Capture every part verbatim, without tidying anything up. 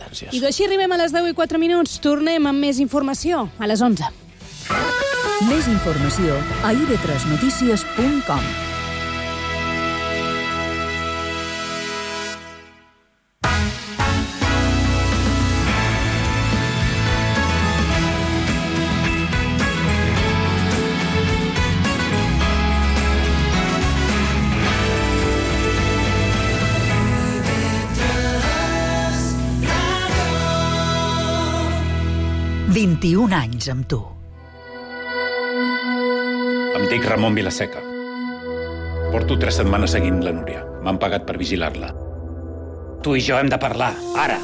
gràcies. I d'així arribem a les deu i quatre minuts. Tornem amb més informació a les onze. Més informació a i ve tres notícies punt com. vint-i-un anys amb tu. Em dic Ramon Vilaseca. Porto tres setmanes seguint la Núria. M'han pagat per vigilar-la. Tu i jo hem de parlar, ara.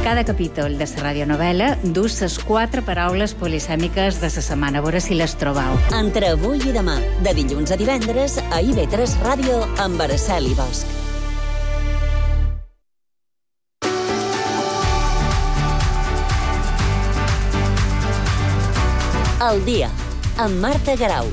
Cada capítol de la radionovel·la du ses quatre paraules polisèmiques de la setmana. A veure si les trobau. Entre avui i demà, de dilluns a divendres, a i ve tres Ràdio amb Araceli Bosch. El dia, amb Marta Garau.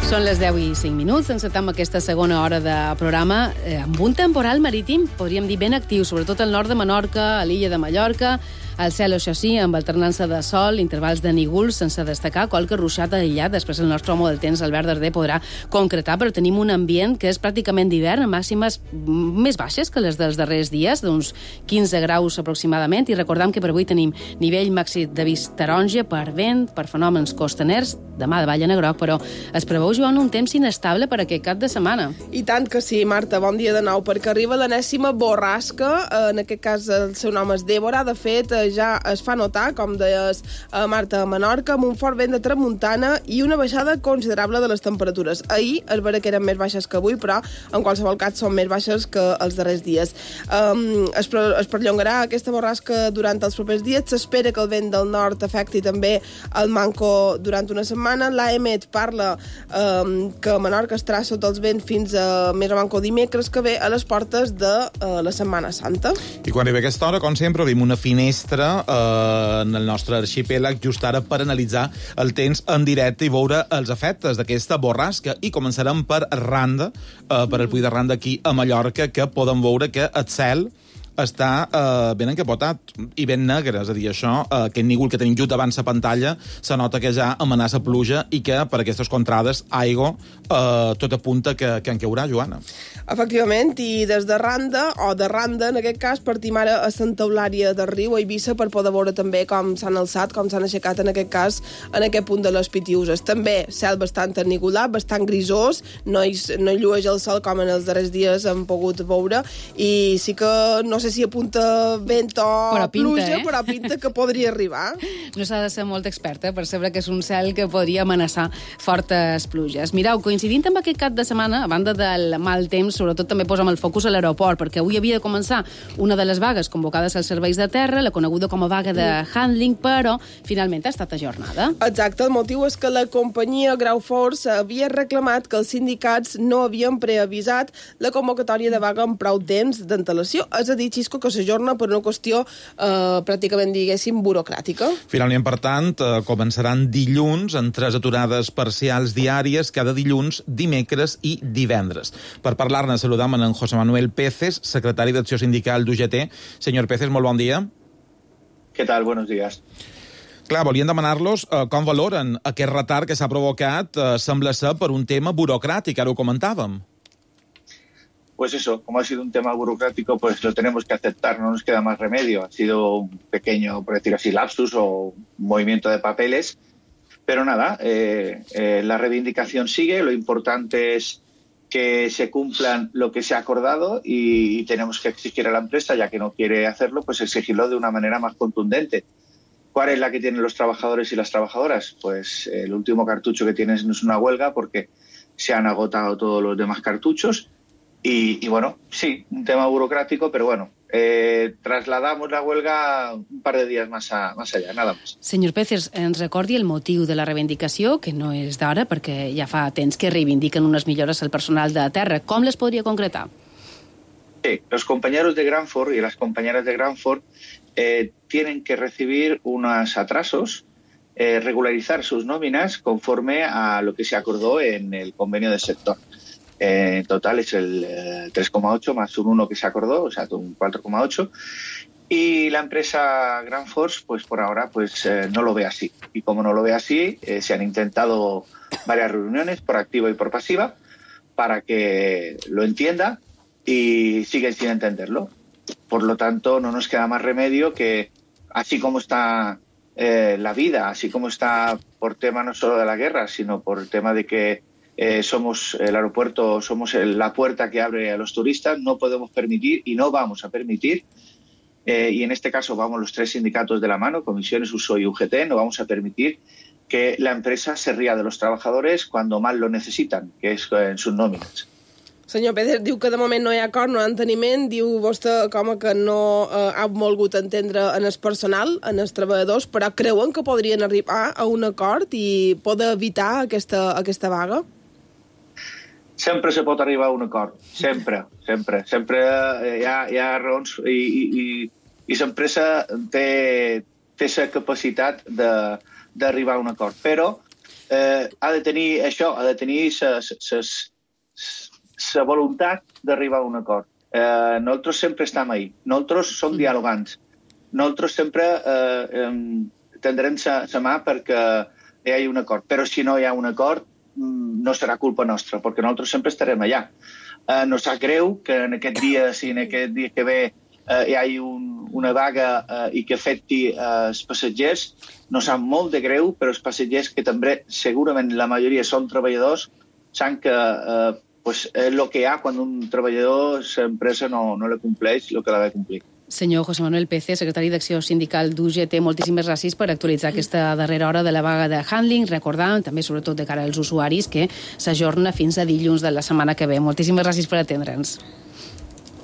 Són les deu i cinc minuts, encetem aquesta segona hora de programa eh, amb un temporal marítim, podríem dir ben actiu, sobretot al nord de Menorca, a l'illa de Mallorca. El cel, això sí, amb alternança de sol, intervals de nígols, sense destacar qualque ruixat aïllat. Després el nostre home del temps, Albert Darder, podrà concretar, però tenim un ambient que és pràcticament d'hivern, amb màximes més baixes que les dels darrers dies, d'uns quinze graus aproximadament, i recordem que per avui tenim nivell màxim d'avís taronja per vent, per fenòmens costaners, demà de balla negroc, però es preveu, Joan, un temps inestable per aquest cap de setmana. I tant que sí, Marta, bon dia de nou, perquè arriba l'enèsima borrasca, en aquest cas el seu nom és Débora, de fet ja es fa notar, com deies a Marta, a Menorca, amb un fort vent de tramuntana i una baixada considerable de les temperatures. Ahir es veure que eren més baixes que avui, però en qualsevol cas són més baixes que els darrers dies. Um, es, es perllongarà aquesta borrasca durant els propers dies, s'espera que el vent del nord afecti també el manco durant una setmana. L'A E M E T parla um, que Menorca estarà sota els vents fins a més o manco dimecres que ve a les portes de uh, la Setmana Santa. I quan arriba aquesta hora, com sempre, obrim una finestra eh, en el nostre arxipèlag just ara per analitzar el temps en directe i veure els efectes d'aquesta borrasca. I començarem per Randa, eh, per el Puig de Randa aquí a Mallorca, que podem veure que el cel està eh, ben encapotat i ben negre, és a dir, això, eh, aquest nígol que tenim just davant la pantalla, se nota que ja amenaça pluja i que per aquestes contrades aigua eh, tot apunta que, que en caurà, Joana. Efectivament, i des de Randa, o de Randa, en aquest cas, partim ara a Santa Eulària del Riu, a Eivissa, per poder veure també com s'han alçat, com s'han aixecat, en aquest cas, en aquest punt de les Pitiuses. També cel bastant ennigolat, bastant grisós, no hi, no hi llueix el sol com en els darrers dies hem pogut veure, i sí que no sé si apunta vent o però pinta, pluja, eh? però pinta que podria arribar. No s'ha de ser molt experta per saber que és un cel que podria amenaçar fortes pluges. Mireu, coincidint amb aquest cap de setmana, a banda del mal temps, sobretot també posem el focus a l'aeroport, perquè avui havia de començar una de les vagues convocades als serveis de terra, la coneguda com a vaga de handling, però finalment ha estat ajornada. Exacte, el motiu és que la companyia Grau Force havia reclamat que els sindicats no havien preavisat la convocatòria de vaga amb prou temps d'antelació, és a dir, Xisco, que s'ajorna per una qüestió eh, pràcticament, diguéssim, burocràtica. Finalment, per tant, eh, començaran dilluns en tres aturades parcials diàries cada dilluns, dimecres i divendres. Per parlar-ne, saludam en José Manuel Peces, secretari d'Acció Sindical d'U G T. Senyor Peces, molt bon dia. Què tal? Buenos días. Clar, volien demanar-los eh, com valoren aquest retard que s'ha provocat, eh, sembla ser per un tema burocràtic, ara ho comentàvem. Pues eso, como ha sido un tema burocrático, pues lo tenemos que aceptar, no nos queda más remedio. Ha sido un pequeño, por decir así, lapsus o un movimiento de papeles, pero nada, eh, eh, la reivindicación sigue, lo importante es que se cumplan lo que se ha acordado y, y tenemos que exigir a la empresa, ya que no quiere hacerlo, pues exigirlo de una manera más contundente. ¿Cuál es la que tienen los trabajadores y las trabajadoras? Pues eh, el último cartucho que tienen es una huelga porque se han agotado todos los demás cartuchos. Y, y bueno, sí, un tema burocrático, pero bueno, eh, trasladamos la huelga un par de días más, a, más allá, nada más. Senyor Peces, ens recordi el motiu de la reivindicació, que no és d'ara, perquè ja fa temps que reivindiquen unes millores al personal de terra. Com les podria concretar? Sí, los compañeros de Granford y las compañeras de Granford eh, tienen que recibir unos atrasos, eh, regularizar sus nóminas conforme a lo que se acordó en el convenio del sector. Eh, en total es el eh, tres coma ocho más un uno que se acordó, o sea, un cuatro coma ocho. Y la empresa Granford, pues por ahora, pues eh, no lo ve así. Y como no lo ve así, eh, se han intentado varias reuniones por activa y por pasiva para que lo entienda y siguen sin entenderlo. Por lo tanto, no nos queda más remedio que, así como está eh, la vida, así como está por tema no solo de la guerra, sino por el tema de que eh, somos el aeropuerto, somos el, la puerta que abre a los turistas, no podemos permitir y no vamos a permitir, eh, y en este caso vamos los tres sindicatos de la mano, Comisiones, U S O y U G T, no vamos a permitir que la empresa se ría de los trabajadores cuando más lo necesitan, que es en sus nóminas. Senyor Pérez, diu que de moment no hi ha acord, no hi ha enteniment, diu vostè com que no eh, ha volgut entendre en el personal, en els treballadors, però creuen que podrien arribar a un acord i poder evitar aquesta, aquesta vaga? Sempre se pot arribar a un acord, sempre, sempre. Sempre hi ha, hi ha raons i, i, i, i l'empresa té, té la capacitat d'arribar a un acord, però eh, ha de tenir això, ha de tenir la voluntat d'arribar a un acord. Eh, nosaltres sempre estem ahí, nosaltres som dialogants, nosaltres sempre eh, eh, tindrem la mà perquè hi hagi un acord, però si no hi ha un acord no serà culpa nostra, perquè nosaltres sempre estarem allà. Eh, no sap greu que en aquest dia, si en aquest dia que ve eh, hi hagi un, una vaga eh, i que afecti eh, els passatgers, no sap molt de greu, però els passatgers que també segurament la majoria són treballadors, saben que eh, pues, és el que hi ha quan un treballador, l'empresa no, no le compleix el que l'ha de complir. Senyor José Manuel Pece, secretari d'Acció Sindical d'U G T, moltíssimes gràcies per actualitzar aquesta darrera hora de la vaga de handling, recordant també, sobretot de cara als usuaris, que s'ajorna fins a dilluns de la setmana que ve. Moltíssimes gràcies per atendre'ns.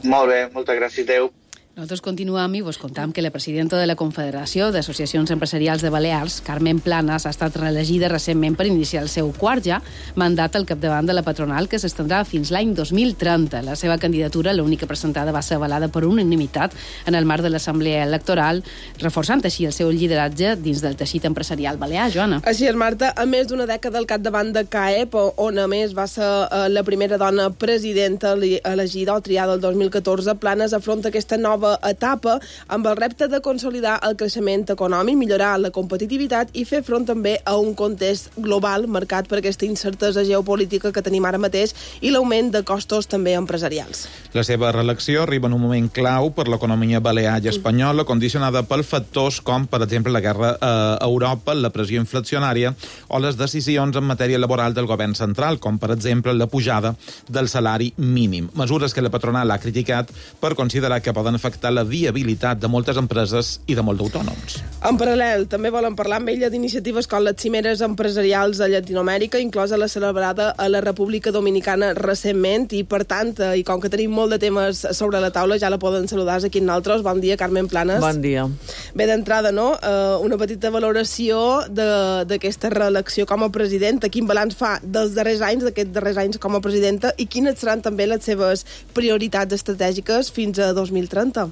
Molt bé, moltes gràcies, Déu. Nosaltres continuem i vos contam que la presidenta de la Confederació d'Associacions Empresarials de Balears, Carmen Planas, ha estat reelegida recentment per iniciar el seu quart ja mandat al capdavant de la patronal, que s'estendrà fins l'any dos mil trenta. La seva candidatura, l'única presentada, va ser avalada per unanimitat en el marc de l'Assemblea Electoral, reforçant així el seu lideratge dins del teixit empresarial balear. Joana. Així és, Marta. A més d'una dècada al capdavant de C A E P, on a més va ser la primera dona presidenta elegida o triada el dos mil catorze, Planas afronta aquesta nova etapa amb el repte de consolidar el creixement econòmic, millorar la competitivitat i fer front també a un context global marcat per aquesta incertesa geopolítica que tenim ara mateix i l'augment de costos també empresarials. La seva reelecció arriba en un moment clau per l'economia balear i espanyola, condicionada per factors com, per exemple, la guerra a Europa, la pressió inflacionària o les decisions en matèria laboral del govern central, com, per exemple, la pujada del salari mínim. Mesures que la patronal ha criticat per considerar que poden afectar la viabilitat de moltes empreses i de molts autònoms. En paral·lel, també volen parlar amb ella d'iniciatives com les cimeres empresarials de Llatinoamèrica, inclosa la celebrada a la República Dominicana recentment, i per tant, i com que tenim molt de temes sobre la taula, ja la poden saludar aquí en nosaltres. Bon dia, Carmen Planas. Bon dia. Bé, d'entrada, no? Uh, una petita valoració d'aquesta reelecció com a presidenta. Quin balanç fa dels darrers anys, d'aquests darrers anys com a presidenta, i quines seran també les seves prioritats estratègiques fins a dos mil trenta?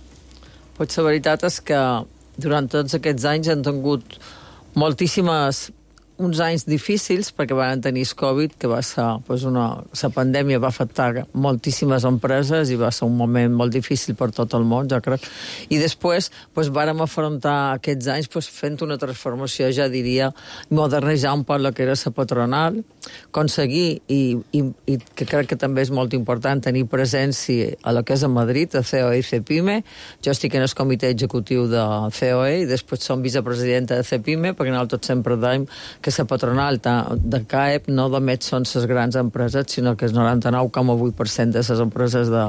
Pues la veritat és que durant tots aquests anys han tingut moltíssimes uns anys difícils perquè van tenir el Covid, que va ser pues, una... la pandèmia va afectar moltíssimes empreses i va ser un moment molt difícil per tot el món, jo crec. I després pues, vàrem afrontar aquests anys pues, fent una transformació, ja diria, modernitzar un poc el que era la patronal, aconseguir, i, i, i que crec que també és molt important, tenir presència a lo que és a Madrid, a C O E i CEPIME. Jo estic en el comitè executiu de C O E i després som vicepresidenta de CEPIME, perquè nosaltres sempre dèiem que la patronal de C A E P no només són les grans empreses, sinó que el noranta-nou coma vuit per cent de les empreses de,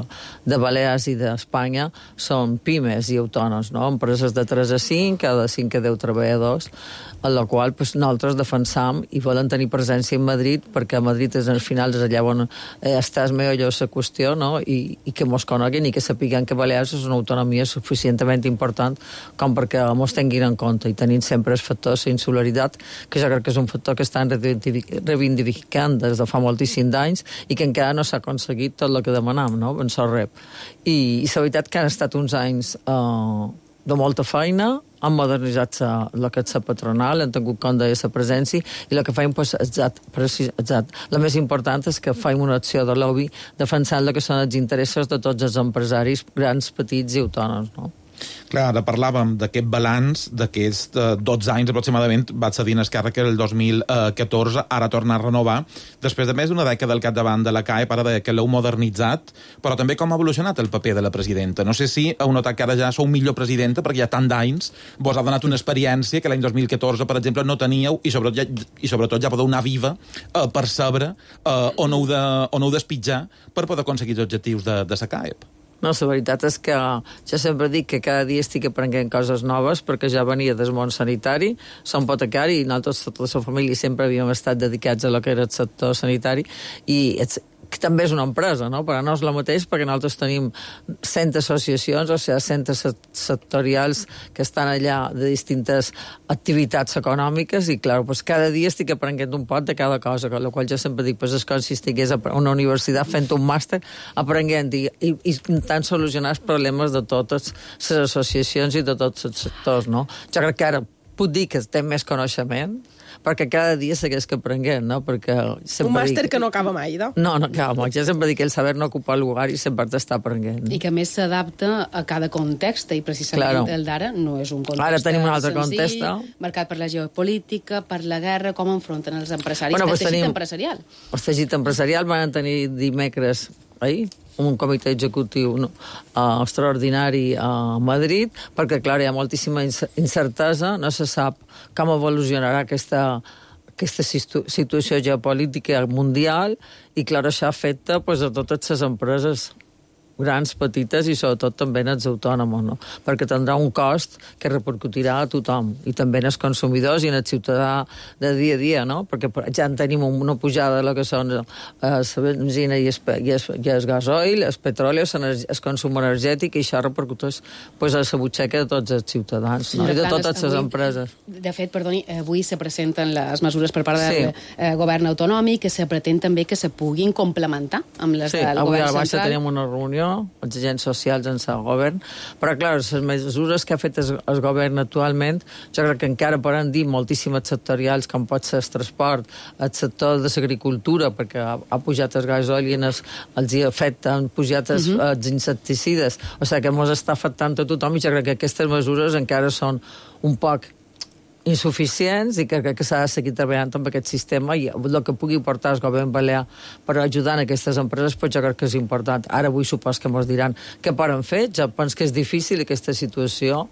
de Balears i d'Espanya són pimes i autònoms, no? Empreses de tres a cinc, de cinc a deu treballadors, en la qual pues, nosaltres defensam i volen tenir presència a Madrid, perquè a Madrid és al final és allà on eh, està el millor la qüestió, no? I, i que mos coneguin i que sapiguen que Balears és una autonomia suficientment important com perquè mos tinguin en compte, i tenint sempre el factor de insularitat, que jo crec que és un factor que estan reivindicant des de fa moltíssims anys i que encara no s'ha aconseguit tot el que demanam, no? En Sorrep. I, i la veritat que han estat uns anys eh, de molta feina, han modernitzat el que és la patronal, han tingut compte de la presència, i el que feim, pues, exact, exact. La més important és que faim una acció de lobby defensant el que són els interessos de tots els empresaris, grans, petits i autònoms, no? Clar, ara parlàvem d'aquest balanç d'aquests dotze anys aproximadament, va cedir en Esquerra que era el dos mil catorze, ara torna a renovar, després de més d'una dècada al capdavant de la C A E, para de que l'heu modernitzat, però també com ha evolucionat el paper de la presidenta. No sé si heu notat que ara ja sou millor presidenta, perquè hi ha tant d'anys, vos ha donat una experiència que l'any dos mil catorze, per exemple, no teníeu, i sobretot ja, i sobretot ja podeu anar viva eh, per saber eh, on, heu de, on heu d'espitjar per poder aconseguir els objectius de, de la C A E P. No, la veritat és que jo sempre dic que cada dia estic aprenent coses noves perquè ja venia del món sanitari, som apotecari i nosaltres, tota la família, sempre havíem estat dedicats a lo que era el sector sanitari i ets, que també és una empresa, no? Però no és la mateix perquè nosaltres tenim cent associacions, o sigui, centres sectorials que estan allà de distintes activitats econòmiques i, clar, pues, cada dia estic aprenent un pot de cada cosa, amb la qual jo sempre dic, pues, és com si estigués a una universitat fent un màster, aprenent i, i, i intentant solucionar els problemes de totes les associacions i de tots els sectors, no? Jo crec que ara puc dir que té més coneixement, perquè cada dia segueix que aprenguem, no? Perquè un màster dic... que no acaba mai, no? No, no acaba mai. Jo sempre dic que el saber no ocupa el lugar i sempre t'està aprenent. I que més s'adapta a cada context, i precisament claro. El d'ara no és un context ara tenim un altre senzill, context, marcat per la geopolítica, per la guerra, com enfronten els empresaris, bueno, el teixit tenim... empresarial. El teixit empresarial van tenir dimecres ahir un comitè executiu no, uh, extraordinari a Madrid, perquè, clar, hi ha moltíssima incertesa, no se sap com evolucionarà aquesta, aquesta situ situació geopolítica mundial, i, clar, això afecta pues, a totes les empreses grans, petites i sobretot també en els autònoms, no? Perquè tindrà un cost que repercutirà a tothom, i també en els consumidors i en el ciutadà de dia a dia, no? Perquè ja en tenim una pujada de lo que són eh, la benzina i el, i el, i el gasoil, el petroli, el consum energètic, i això repercuteix pues, a la butxaca de tots els ciutadans, no? I de totes les empreses. De fet, perdoni, avui se presenten les mesures per part del sí. eh, govern autonòmic, que se pretén també que se puguin complementar amb les sí, del govern central. Sí, avui a la baixa tenim una reunió els agents socials en el govern, però, clar, les mesures que ha fet el, el govern actualment, jo crec que encara poden dir moltíssimes sectorials, com pot ser el transport, el sector de l'agricultura, perquè ha, ha pujat el gasoil i els, els hi afecta, han pujat els, uh -huh. els insecticides, o sigui que ens està afectant a tothom, i jo crec que aquestes mesures encara són un poc insuficients i que crec que s'ha de seguir treballant amb aquest sistema, i el que pugui portar el govern balear per ajudar en aquestes empreses, però jo crec que és important. Ara avui supos que ens diran què poden fer. Jo penso que és difícil aquesta situació,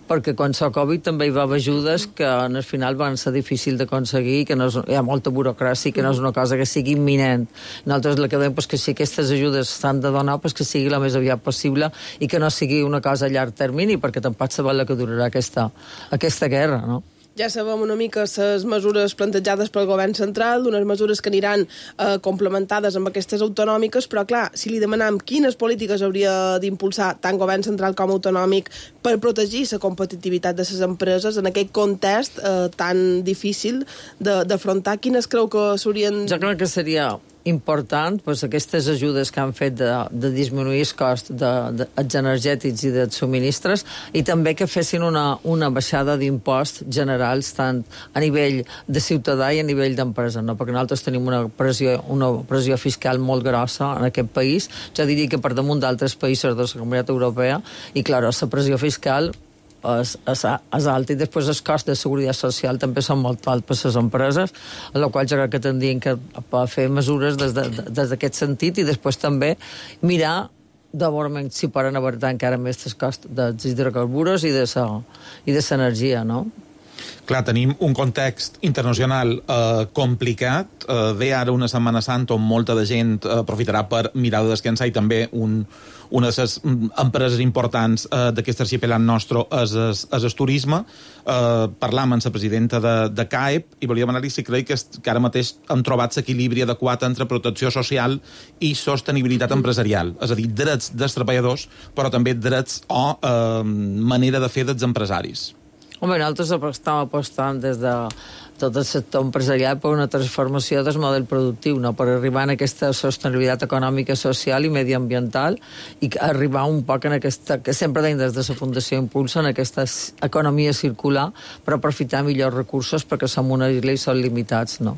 perquè quan s'ha Covid també hi va haver ajudes que al final van ser difícil d'aconseguir, que no és, hi ha molta burocràcia, que no és una cosa que sigui imminent. Nosaltres el que dèiem és que si aquestes ajudes s'han de donar, pues que sigui la més aviat possible i que no sigui una cosa a llarg termini, perquè tampoc sabem la que durarà aquesta, aquesta guerra, no? Ja sabem una mica les mesures plantejades pel govern central, unes mesures que aniran eh, complementades amb aquestes autonòmiques, però, clar, si li demanam quines polítiques hauria d'impulsar tant govern central com autonòmic per protegir la competitivitat de les empreses en aquest context eh, tan difícil d'afrontar, quines creu que s'haurien... Jo crec que seria important, pues, aquestes ajudes que han fet de, de disminuir el cost dels de, de, energètics i dels subministres, i també que fessin una, una baixada d'imposts generals tant a nivell de ciutadà i a nivell d'empresa, no? Perquè nosaltres tenim una pressió, una pressió fiscal molt grossa en aquest país, jo diria que per damunt d'altres països de la Comunitat Europea, i, clar, la pressió fiscal és, és, és alt, i després els costs de seguretat social també són molt alts per les empreses, a la qual jo crec que tindrien que fer mesures des d'aquest de, sentit, i després també mirar de veure si poden abartar encara més els costs dels hidrocarburs i de l'energia, no? Clar, tenim un context internacional eh, complicat. Eh, ve ara una Setmana Santa on molta de gent eh, aprofitarà per mirar de descansar, i també un, una de les empreses importants eh, d'aquest arxipelat nostre és, és, és el turisme. Eh, parlam amb la presidenta de, de C A E P i volia demanar-li si creu que, que ara mateix han trobat l'equilibri adequat entre protecció social i sostenibilitat empresarial, és a dir, drets dels treballadors, però també drets o eh, manera de fer dels empresaris. Home, nosaltres estem apostant des de tot el sector empresarial per una transformació del model productiu, no? Per arribar a aquesta sostenibilitat econòmica, social i mediambiental i arribar un poc en aquesta, que sempre tenim des de la Fundació Impulsa, en aquesta economia circular per aprofitar millors recursos perquè som una isla i són limitats, no?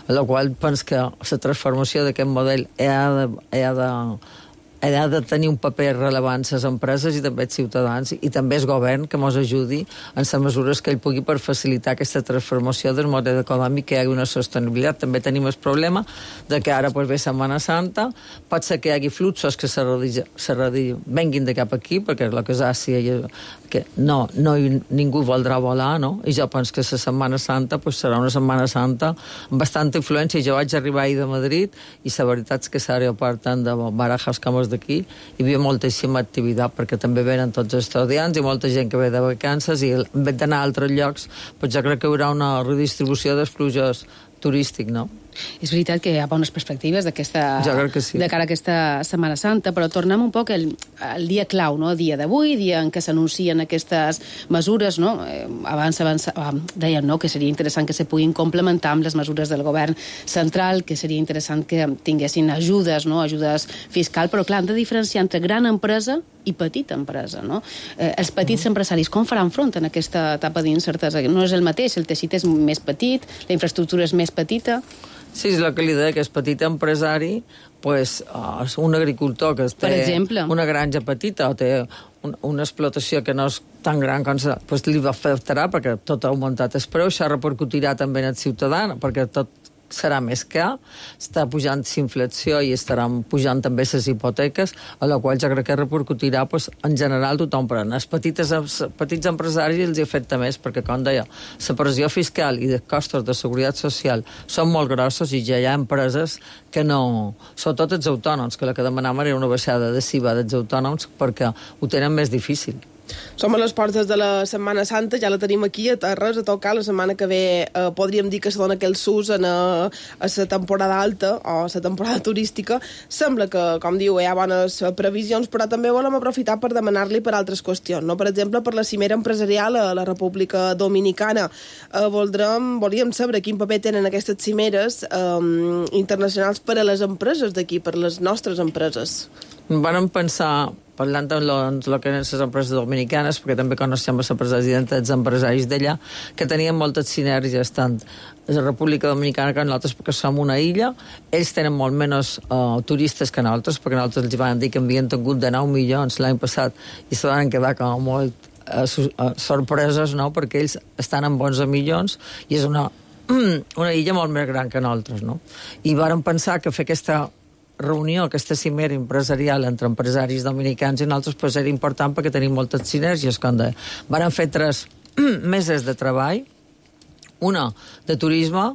En la qual penso que la transformació d'aquest model ha de, ha de ha de tenir un paper rellevant les empreses i també els ciutadans i també el govern que ens ajudi en les mesures que ell pugui per facilitar aquesta transformació del model econòmic, que hi hagi una sostenibilitat. També tenim el problema de que ara pues, ve Setmana Santa, pot ser que hi hagi fluxos que se redi, se redi, venguin de cap aquí, perquè la casàcia que no, no ningú voldrà volar, no? I jo penso que la Setmana Santa pues, serà una Setmana Santa amb bastanta influència. Jo vaig arribar ahir de Madrid i la veritat és que l'aeroport tant de Barajas com d'aquí, hi havia moltíssima activitat perquè també venen tots els estudiants i molta gent que ve de vacances i en vez d'anar a altres llocs, doncs jo crec que hi haurà una redistribució dels fluxos turístic, no? És veritat que hi ha bones perspectives d'aquesta sí. de cara a aquesta Setmana Santa, però tornem un poc al, al dia clau, no? El dia d'avui, dia en què s'anuncien aquestes mesures, no? Eh, abans, abans eh, deien no? que seria interessant que se puguin complementar amb les mesures del govern central, que seria interessant que tinguessin ajudes, no? Ajudes fiscal, però clar, han de diferenciar entre gran empresa i petita empresa, no? Eh, els petits mm. empresaris, com faran front en aquesta etapa d'incertesa? No és el mateix, el teixit és més petit, la infraestructura és més petita. Sí, és el que li deia, que és petit empresari, pues, uh, un agricultor que té una granja petita o té un, una explotació que no és tan gran com sa, pues, li va afectarà perquè tot ha augmentat el preu, això repercutirà també en el ciutadà, perquè tot serà més car, està pujant l'inflació i estaran pujant també les hipoteques, a la qual jo crec que repercutirà pues, en general tothom, però els petits, petits empresaris els afecta més, perquè, com deia, la pressió fiscal i de costos de seguretat social són molt grossos i ja hi ha empreses que no... Sobretot els autònoms, que la que demanàvem era una baixada de S I V A dels autònoms perquè ho tenen més difícil. Som a les portes de la Setmana Santa, ja la tenim aquí a Terres, a tocar. La setmana que ve eh, podríem dir que se dona aquell sus en a, a la temporada alta o a la temporada turística. Sembla que, com diu, hi ha bones previsions, però també volem aprofitar per demanar-li per altres qüestions, no? Per exemple, per la cimera empresarial a la República Dominicana. Eh, voldrem, volíem saber quin paper tenen aquestes cimeres eh, internacionals per a les empreses d'aquí, per a les nostres empreses. Vàrem pensar, parlant de lo, lo que eren les empreses dominicanes, perquè també coneixem la presidenta dels empresaris d'allà, que tenien moltes sinergies, tant a la República Dominicana que nosaltres, perquè som una illa. Ells tenen molt menys uh, turistes que nosaltres, perquè nosaltres els van dir que havien tingut de nou milions l'any passat i se van quedar com molt uh, uh, sorpreses, no?, perquè ells estan amb onze milions i és una, una illa molt més gran que nosaltres, no? I vàrem pensar que fer aquesta reunió, aquesta cimera empresarial entre empresaris dominicans i nosaltres pues, era important perquè tenim moltes sinergies. Com de... Varen fer tres meses de treball, una de turisme,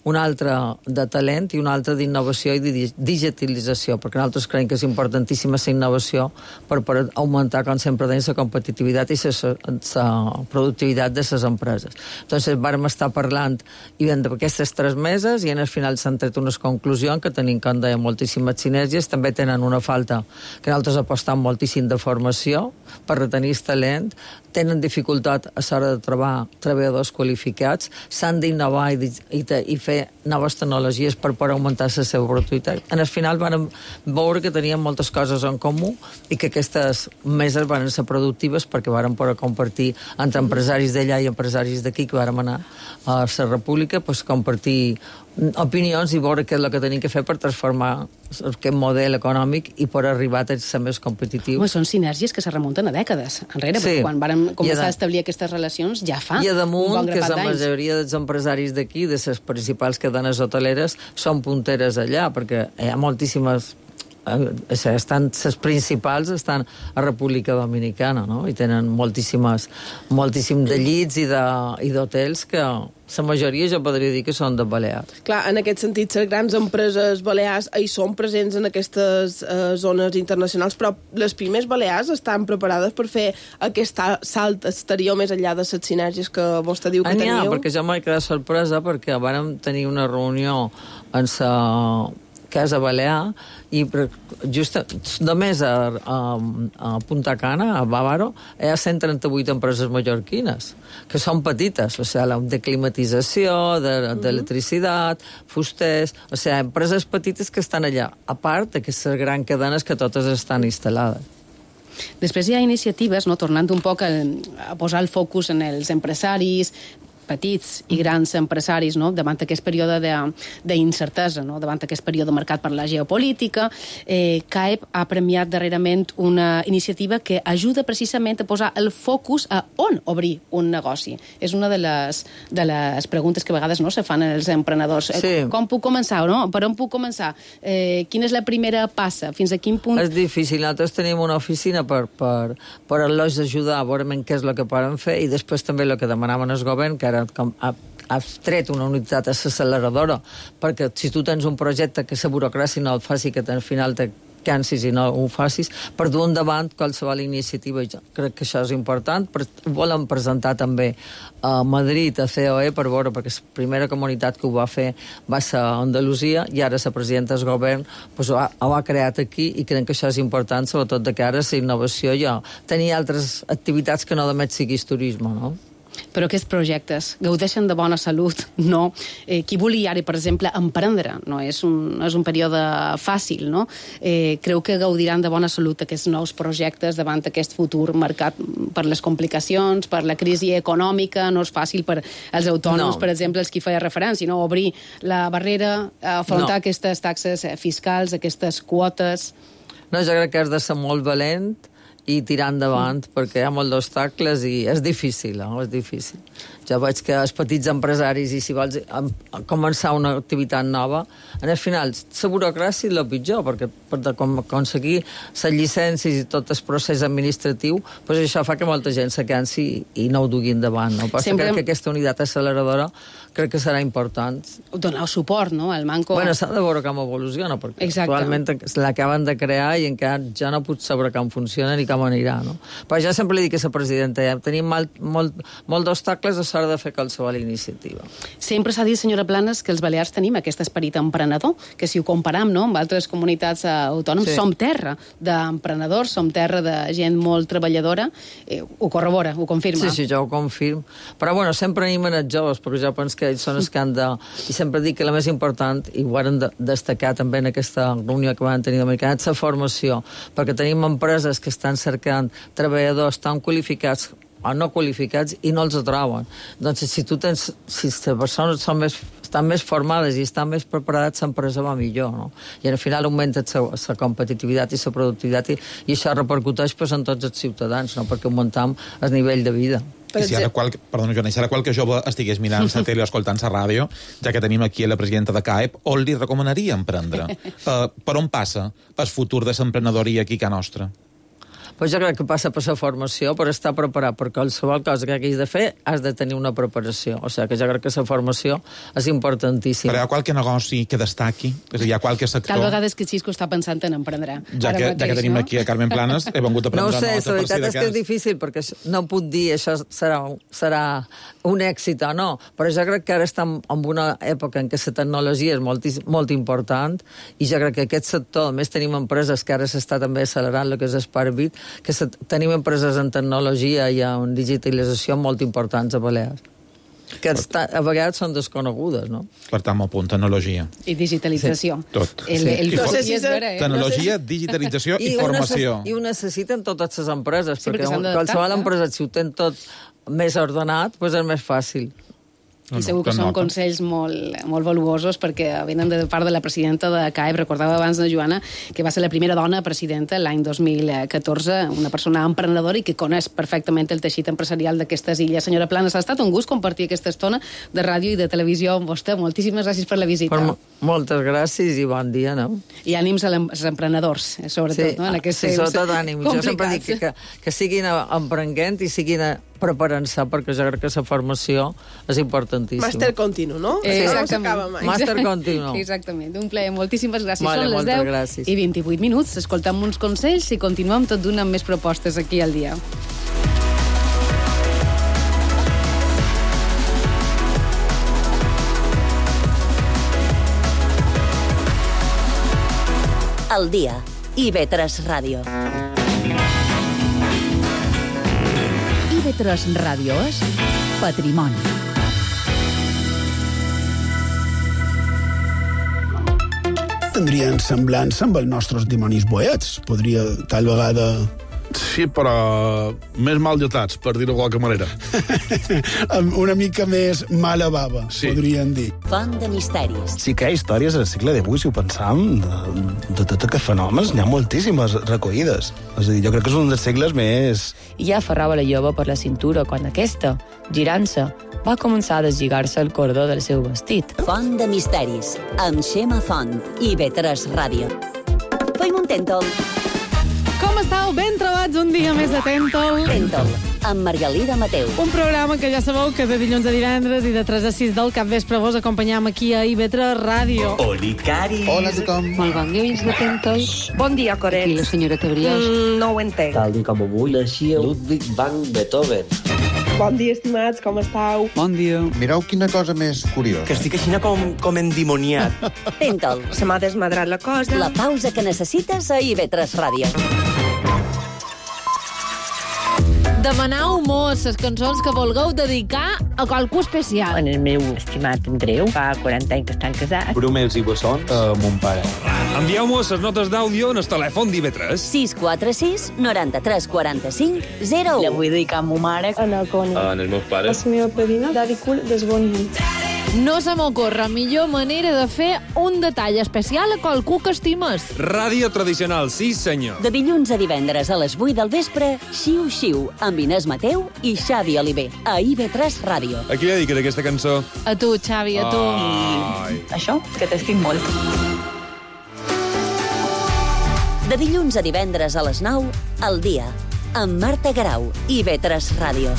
una altra de talent i una altra d'innovació i de digitalització, perquè nosaltres creiem que és importantíssima la innovació per, per augmentar, com sempre deim, la competitivitat i la productivitat de les empreses. Entonces, vàrem estar parlant i d'aquestes tres meses i en el final s'han tret unes conclusions que tenim, com deia, moltíssimes sinergies. També tenen una falta que nosaltres apostam moltíssim de formació per retenir el talent, tenen dificultat a l'hora de trobar treballadors qualificats, s'han d'innovar i, i, i fer noves tecnologies per poder augmentar la seva productivitat. En el final vam veure que teníem moltes coses en comú i que aquestes meses van ser productives perquè vam poder compartir entre empresaris d'allà i empresaris d'aquí que vam anar a la República, pues, compartir opinions i veure què és el que tenim que fer per transformar aquest model econòmic i per arribar a ser més competitiu. Home, són sinergies que se remunten a dècades enrere, sí. Quan vàrem començar a, a establir aquestes relacions ja fa I a damunt, un bon que grapat la d'anys. majoria dels empresaris d'aquí, de les principals cadenes hoteleres, són punteres allà, perquè hi ha moltíssimes... estan, les principals estan a República Dominicana, no? I tenen moltíssimes, moltíssim de llits i d'hotels que la majoria jo podria dir que són de Balears. Clar, en aquest sentit, les grans empreses balears hi són presents en aquestes eh, zones internacionals, però les pimes balears estan preparades per fer aquest salt exterior més enllà de les sinergies que vostè diu que teniu? Ja, perquè jo m'he quedat sorpresa perquè vàrem tenir una reunió en sa que és a Balear, i just només a, a, a Punta Cana, a Bávaro, hi ha cent trenta-vuit empreses mallorquines, que són petites, o sigui, de climatització, d'electricitat, de, fusters, o sigui, empreses petites que estan allà, a part d'aquestes grans cadenes que totes estan instal·lades. Després hi ha iniciatives, no, tornant un poc a, a posar el focus en els empresaris, petits i grans empresaris, no? Davant aquest període d'incertesa, no? Davant aquest període marcat per la geopolítica. Eh, C A E P ha premiat darrerament una iniciativa que ajuda precisament a posar el focus a on obrir un negoci. És una de les, de les preguntes que a vegades no se fan als emprenedors. Sí. Eh, com puc començar? No? Per on puc començar? Eh, quina és la primera passa? Fins a quin punt? És difícil. Nosaltres tenim una oficina per, per, per els ajudar a veure què és el que poden fer, i després també el que demanaven el govern, que era com ha, ha tret una unitat acceleradora, perquè si tu tens un projecte que la burocràcia no el faci, que al final te cansis i no ho facis, per dur endavant qualsevol iniciativa. Jo crec que això és important. Ho volen presentar també a Madrid, a C O E, per veure, perquè la primera comunitat que ho va fer va ser a Andalusia, i ara la presidenta del govern pues, ho, ha, ho ha creat aquí, i crec que això és important, sobretot de cara a la innovació. Jo tenia altres activitats que no només siguis turisme, no? Però aquests projectes gaudeixen de bona salut? No. Eh, qui vulgui ara, per exemple, emprendre, no és un, és un període fàcil, no? Eh, creu que gaudiran de bona salut aquests nous projectes davant aquest futur marcat per les complicacions, per la crisi econòmica? No és fàcil per als autònoms, no. Per exemple, els qui feia referència, no? Obrir la barrera, afrontar no. aquestes taxes fiscals, aquestes quotes... No, jo crec que has de ser molt valent i tirar endavant, mm. perquè hi ha molts d'obstacles i és difícil, no? És difícil. Jo veig que els petits empresaris, i si vols començar una activitat nova, en el final, la burocràcia és el pitjor, perquè per aconseguir les llicències i tot el procés administratiu, doncs això fa que molta gent se cansi i no ho dugui endavant. No? Però Sempre... crec que aquesta unitat acceleradora crec que serà important. Donar suport, no?, al manco... Bueno, s'ha de veure com evoluciona, perquè Exacte. Actualment l'acaben de crear i encara ja no puc saber com funciona ni com anirà, no? Però ja sempre li dic a la presidenta, ja tenim molt, molt, molt d'obstacles a l'hora de fer qualsevol iniciativa. Sempre s'ha dit, senyora Planes, que els balears tenim aquest esperit emprenedor, que si ho comparam, no?, amb altres comunitats autònomes, sí. Som terra d'emprenedors, som terra de gent molt treballadora. Eh, ho corrobora, ho confirma? Sí, sí, jo ho confirmo. Però, bueno, sempre animen els joves, perquè jo penso que ells són els que han de... I sempre dic que la més important, i ho han de destacar també en aquesta reunió que van tenir d'americana, és la formació, perquè tenim empreses que estan cercant treballadors tan qualificats o no qualificats i no els troben. Doncs si tu tens... Si les persones són més, estan més formades i estan més preparades, l'empresa va millor, no? I al final augmenta la competitivitat i la productivitat i, i això repercuteix pues, en tots els ciutadans, no? Perquè augmentam el nivell de vida. I si ara qual, perdona, Joana, si ara qualque jove estigués mirant la tele o escoltant la ràdio, ja que tenim aquí la presidenta de C A E P, on li recomanaria emprendre? Uh, per on passa el futur de l'emprenedoria aquí a casa nostra? Pues jo crec que passa per la formació, per estar preparat, perquè qualsevol cosa que hagis de fer has de tenir una preparació. O sigui que jo crec que la formació és importantíssima. Però hi ha qualque negoci que destaqui? És a dir, hi ha qualque sector... Tal vegada és que Xisco està pensant en emprendre. Ja que, mateix, ja que tenim no? aquí a Carmen Planes, he vengut a prendre no sé, nota. La veritat és que és difícil, perquè no puc dir això serà, serà un èxit o no, però jo crec que ara estem en una època en què la tecnologia és molt, molt important, i jo crec que aquest sector, a més tenim empreses que ara s'està també accelerant, el que és Sparbit, que se, tenim empreses en tecnologia i en digitalització molt importants a Balears, que està, a vegades són desconegudes, no? Per tant, molt punt, tecnologia. I digitalització. Sí, tot. El, el, el I for... sí, eh? Tecnologia, digitalització i, i formació. I ho necessiten totes les empreses, sí, perquè, perquè qualsevol empresa, si ho ten tot més ordenat, doncs és més fàcil. I segur que són consells molt, molt valuosos, perquè venen de part de la presidenta de C A E P. Recordava abans de Joana que va ser la primera dona presidenta l'any dos mil catorze, una persona emprenedora i que coneix perfectament el teixit empresarial d'aquestes illes. Senyora Planes, ha estat un gust compartir aquesta estona de ràdio i de televisió amb vostè. Moltíssimes gràcies per la visita. Per moltes gràcies i bon dia, no? I ànims als emprenedors, sobretot, sí, no? En aquests sí, sobretot ànims. Jo sempre dic que, que, que siguin emprenent i siguin preparant-se, perquè jo crec que la formació és importantíssima. Màster continu, no? Eh, exactament. Màster continu. Exactament. Un plaer. Moltíssimes gràcies. Vale, Són les deu gràcies. i vint-i-vuit minuts. Escoltem uns consells i continuem tot d'una amb més propostes aquí al dia. al dia. I V tres Ràdio. I V tres Ràdio és patrimoni. Tindrien semblança amb els nostres dimonis boets. Podria, tal vegada... Sí, però més mal lletats, per dir-ho de qualque manera. Una mica més mala bava, sí. Podríem dir. Font de misteris. Sí que hi ha històries al segle divuit, si ho pensam, de, de tot aquests fenòmens, n'hi ha moltíssimes recollides. És a dir, jo crec que és un dels segles més... I ja aferrava la jove per la cintura quan aquesta, girant-se, va començar a deslligar-se el cordó del seu vestit. Font de misteris, amb Xema Font, I V tres Ràdio. Fem un tèntol. Com estàu? Ben trobats un dia més a Tèntol. Tèntol, amb Margalida Mateu. Un programa que ja sabeu que de dilluns a divendres i de tres a sis del capvespre vos acompanyam aquí a I V tres Ràdio. Olicari. Hola a tothom. Molt bon dia, oients de Tèntol. Bon dia, Coret. Aquí la senyora Tebriós. Mm, no ho entenc. Tal dia com avui naixia Ludwig van Beethoven. Bon dia, estimats, com estàu? Bon dia. Mireu quina cosa més curiosa. Que estic així com, com endimoniat. Tèntol. Se m'ha desmadrat la cosa. La pausa que necessites a I V tres Ràdio. Demanau mos les cançons que vulgueu dedicar a qualcú especial. En el meu estimat Andreu, fa quaranta anys que estan casats. Brumels i bessons a mon pare. Envieu-mos les notes d'àudio en el telèfon d'I V tres. sis quatre sis, noranta-tres, quaranta-cinc, zero u. La vull dedicar a ma mare. A la Coni. En els meus pares. La meva padrina, Daddy Cool, desbonint. No se m'ocorre millor manera de fer un detall especial a qualcú que estimes. Ràdio tradicional, sí senyor. De dilluns a divendres a les vuit del vespre, Xiu Xiu, amb Inés Mateu i Xavi Oliver, a I V tres Ràdio. A qui li dediques aquesta cançó? A tu, Xavi, a tu. Ai. Això, que t'estic molt. De dilluns a divendres a les nou, al dia, amb Marta Garau, I V tres Ràdio.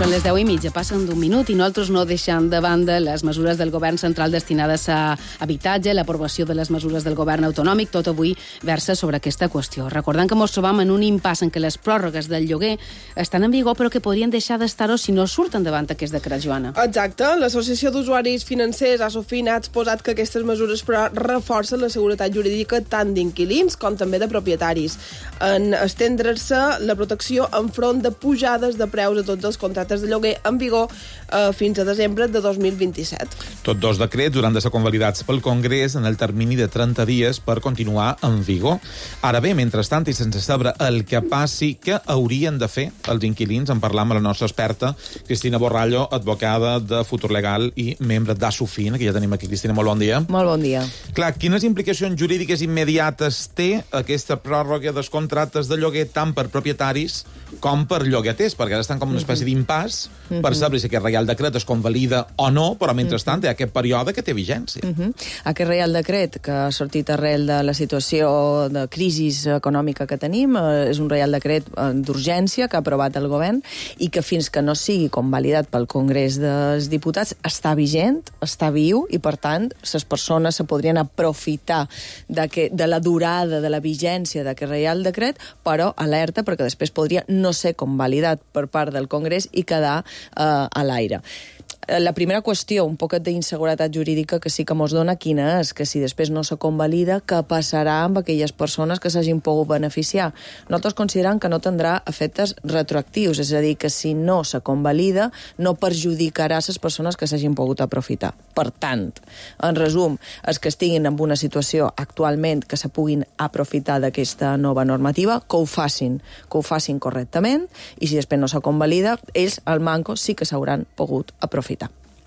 Són les deu i mitja, passen d'un minut i nosaltres no deixant de banda les mesures del govern central destinades a habitatge, l'aprovació de les mesures del govern autonòmic, tot avui versa sobre aquesta qüestió. Recordant que ens trobam en un impàs en què les pròrrogues del lloguer estan en vigor però que podrien deixar d'estar-ho si no surten davant aquest decret, Joana. Exacte. L'Associació d'Usuaris Financers, ASOFIN, ha exposat que aquestes mesures però reforcen la seguretat jurídica tant d'inquilins com també de propietaris, en estendre-se la protecció enfront de pujades de preus a tots els contractes de lloguer en vigor eh, fins a desembre de dos mil vint-i-set. Tots dos decrets hauran de ser convalidats pel Congrés en el termini de trenta dies per continuar en vigor. Ara bé, mentrestant, i sense saber el que passi, què haurien de fer els inquilins? En parlam amb la nostra experta, Cristina Borrallo, advocada de Futur Legal i membre d'ASOFIN, que ja tenim aquí. Cristina, molt bon dia. Molt bon dia. Clar, quines implicacions jurídiques immediates té aquesta pròrroga dels contractes de lloguer tant per propietaris com per llogaters? Perquè ara estan com una espècie d'impàs uh-huh. per saber si aquest Reial Decret es convalida o no, però mentrestant uh-huh. hi ha aquest període que té vigència. Uh-huh. Aquest Reial Decret, que ha sortit arrel de la situació de crisi econòmica que tenim, eh, és un Reial Decret d'urgència que ha aprovat el govern i que fins que no sigui convalidat pel Congrés dels Diputats està vigent, està viu i, per tant, les persones se podrien aprofitar de, que, de la durada, de la vigència d'aquest Reial Decret, però alerta perquè després podria no ser convalidat per part del Congrés i quedar eh, a l'aire. La primera qüestió, un poquet d'inseguretat jurídica que sí que mos dona, quina és? Que si després no se convalida, què passarà amb aquelles persones que s'hagin pogut beneficiar? Nosaltres considerem que no tindrà efectes retroactius, és a dir, que si no se convalida, no perjudicarà les persones que s'hagin pogut aprofitar. Per tant, en resum, els que estiguin en una situació actualment que se puguin aprofitar d'aquesta nova normativa, que ho facin, que ho facin correctament, i si després no se convalida, ells, al manco, sí que s'hauran pogut aprofitar.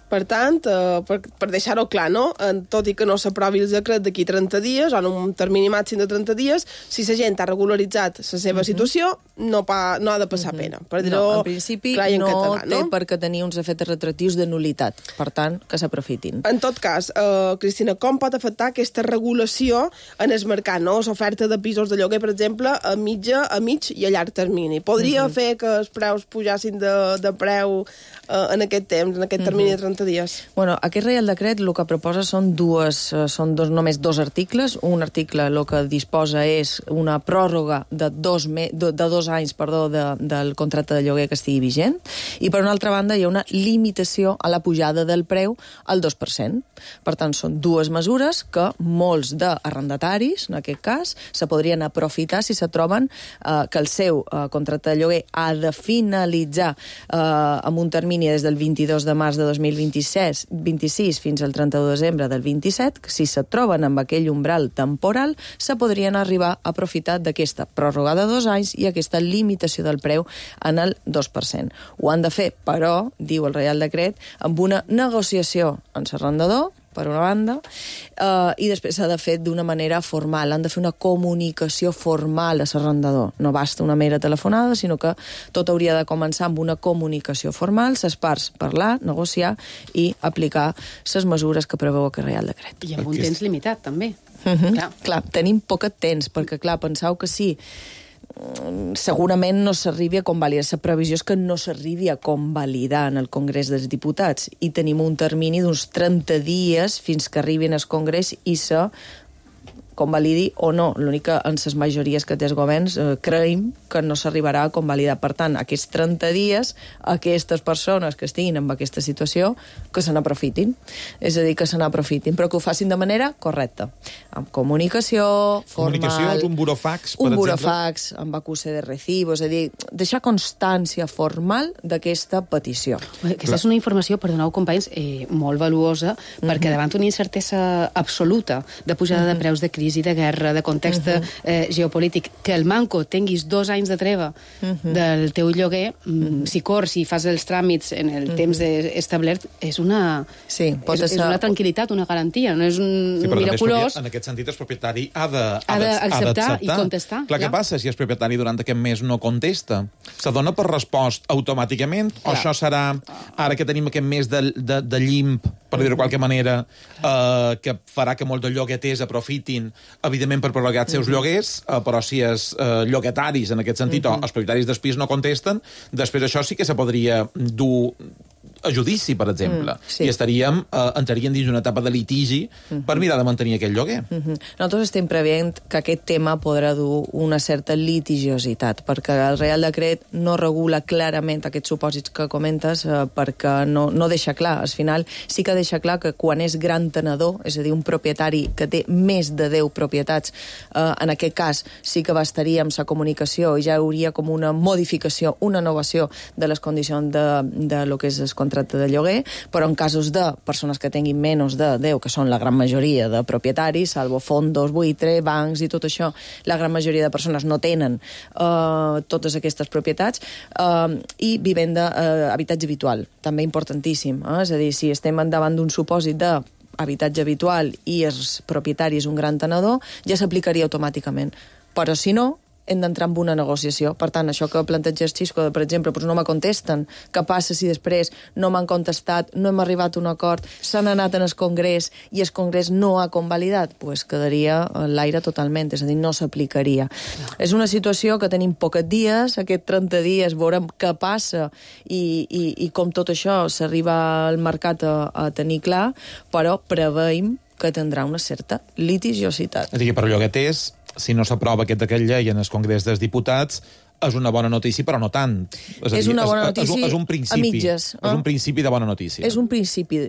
Per tant, eh, per, per deixar-ho clar, no? Tot i que no s'aprovi el decret d'aquí trenta dies, o en un termini màxim de trenta dies, si la gent ha regularitzat la seva uh-huh. situació, no, pa, no ha de passar uh-huh. pena. Per dir-ho no, en principi clar i en no català, no? té per què tenir uns efectes retroactius de nulitat. Per tant, que s'aprofitin. En tot cas, eh, Cristina, com pot afectar aquesta regulació en el mercat, no? L'oferta de pisos de lloguer, per exemple, a mitja, a mig i a llarg termini. Podria uh-huh. fer que els preus pujassin de, de preu eh, en aquest temps, en aquest termini uh-huh. de trenta trenta dies. Bueno, aquest Reial Decret el que proposa són dues, són dos, només dos articles. Un article el que disposa és una pròrroga de dos, me, de, de dos anys perdó, de, del contracte de lloguer que estigui vigent, i per una altra banda hi ha una limitació a la pujada del preu al dos per cent. Per tant, són dues mesures que molts d'arrendataris, en aquest cas, se podrien aprofitar si se troben eh, que el seu eh, contracte de lloguer ha de finalitzar eh, amb un termini des del vint-i-dos de març de dos mil vint-i-sis fins al trenta-u de desembre del vint-i-set, que si se troben amb aquell umbral temporal, se podrien arribar a aprofitar d'aquesta pròrroga de dos anys i aquesta limitació del preu en el dos per cent. Ho han de fer, però, diu el Reial Decret, amb una negociació amb l'arrendador, per una banda, eh, i després s'ha de fer d'una manera formal. Han de fer una comunicació formal a l'arrendador. No basta una mera telefonada, sinó que tot hauria de començar amb una comunicació formal, les parts parlar, negociar i aplicar les mesures que preveu aquest Reial Decret. I amb un temps limitat, també. Uh-huh. Clar. clar, tenim poc temps, perquè, clar, penseu que sí, segurament no s'arribi a convalidar. La previsió és que no s'arribi a convalidar en el Congrés dels Diputats i tenim un termini d'uns trenta dies fins que arribin al Congrés i se convalidi o no. L'únic que en les majories que té els governs eh, creiem que no s'arribarà a convalidar. Per tant, aquests trenta dies, aquestes persones que estiguin en aquesta situació, que se n'aprofitin. És a dir, que se n'aprofitin, però que ho facin de manera correcta. Amb comunicació formal... Comunicació, un burofax, per un exemple? Un burofax, amb acuse de recibo, és a dir, deixar constància formal d'aquesta petició. Aquesta és una informació, perdoneu, companys, eh, molt valuosa, uh-huh. perquè davant una incertesa absoluta de pujada uh-huh. de preus de crisi, de guerra, de context uh-huh. eh, geopolític, que el manco tinguis dos anys de treva uh-huh. del teu lloguer, uh-huh. si cors, si fas els tràmits en el uh-huh. temps establert, és una, sí, és, és una tranquil·litat, una garantia, no és un sí, miraculós. En aquest sentit, el propietari ha de, ha d'acceptar i contestar. Clar, què passa si el propietari durant aquest mes no contesta? Se dona per respost automàticament? Clar. O això serà, ara que tenim aquest mes de, de, de llimp, per dir-ho de qualque manera, eh, que farà que molts de llogueters aprofitin, evidentment, per prolongar els seus lloguers, eh, però si els eh, lloguetaris, en aquest sentit, uh-huh. o els propietaris dels pis no contesten, després això sí que se podria dur a judici, per exemple, mm, sí. i estaríem, eh, entraríem dins d'una etapa de litigi uh-huh. per mirar de mantenir aquell lloguer. Uh-huh. Nosaltres estem preveient que aquest tema podrà dur una certa litigiositat, perquè el Reial Decret no regula clarament aquests supòsits que comentes, eh, perquè no, no deixa clar. Al final sí que deixa clar que quan és gran tenedor, és a dir, un propietari que té més de deu propietats, eh, en aquest cas sí que bastaria amb la comunicació i ja hauria com una modificació, una innovació de les condicions de, de lo que és el contracte de lloguer, però en casos de persones que tinguin menys de deu, que són la gran majoria de propietaris, salvo fondos, buitre, bancs i tot això, la gran majoria de persones no tenen eh, totes aquestes propietats, eh, i vivenda, eh, habitatge habitual, també importantíssim, eh? És a dir, si estem davant d'un supòsit de habitatge habitual i els propietaris un gran tenedor, ja s'aplicaria automàticament. Però si no, hem d'entrar en una negociació. Per tant, això que planteja Xisco, per exemple, doncs no me contesten. Què passa si després no m'han contestat, no hem arribat a un acord, s'han anat en el Congrés i el Congrés no ha convalidat? Doncs pues quedaria l'aire totalment, és a dir, no s'aplicaria. No. És una situació que tenim pocs dies, aquests trenta dies veurem què passa i, i, i com tot això s'arriba al mercat a, a tenir clar, però preveiem que tindrà una certa litigiositat. És a dir, per llogueters, si no s'aprova aquest decret llei en el Congrés dels Diputats, és una bona notícia, però no tant. És, és dir, una bona és, notícia és un, és un principi, a mitges. Eh? És un principi de bona notícia. És un principi.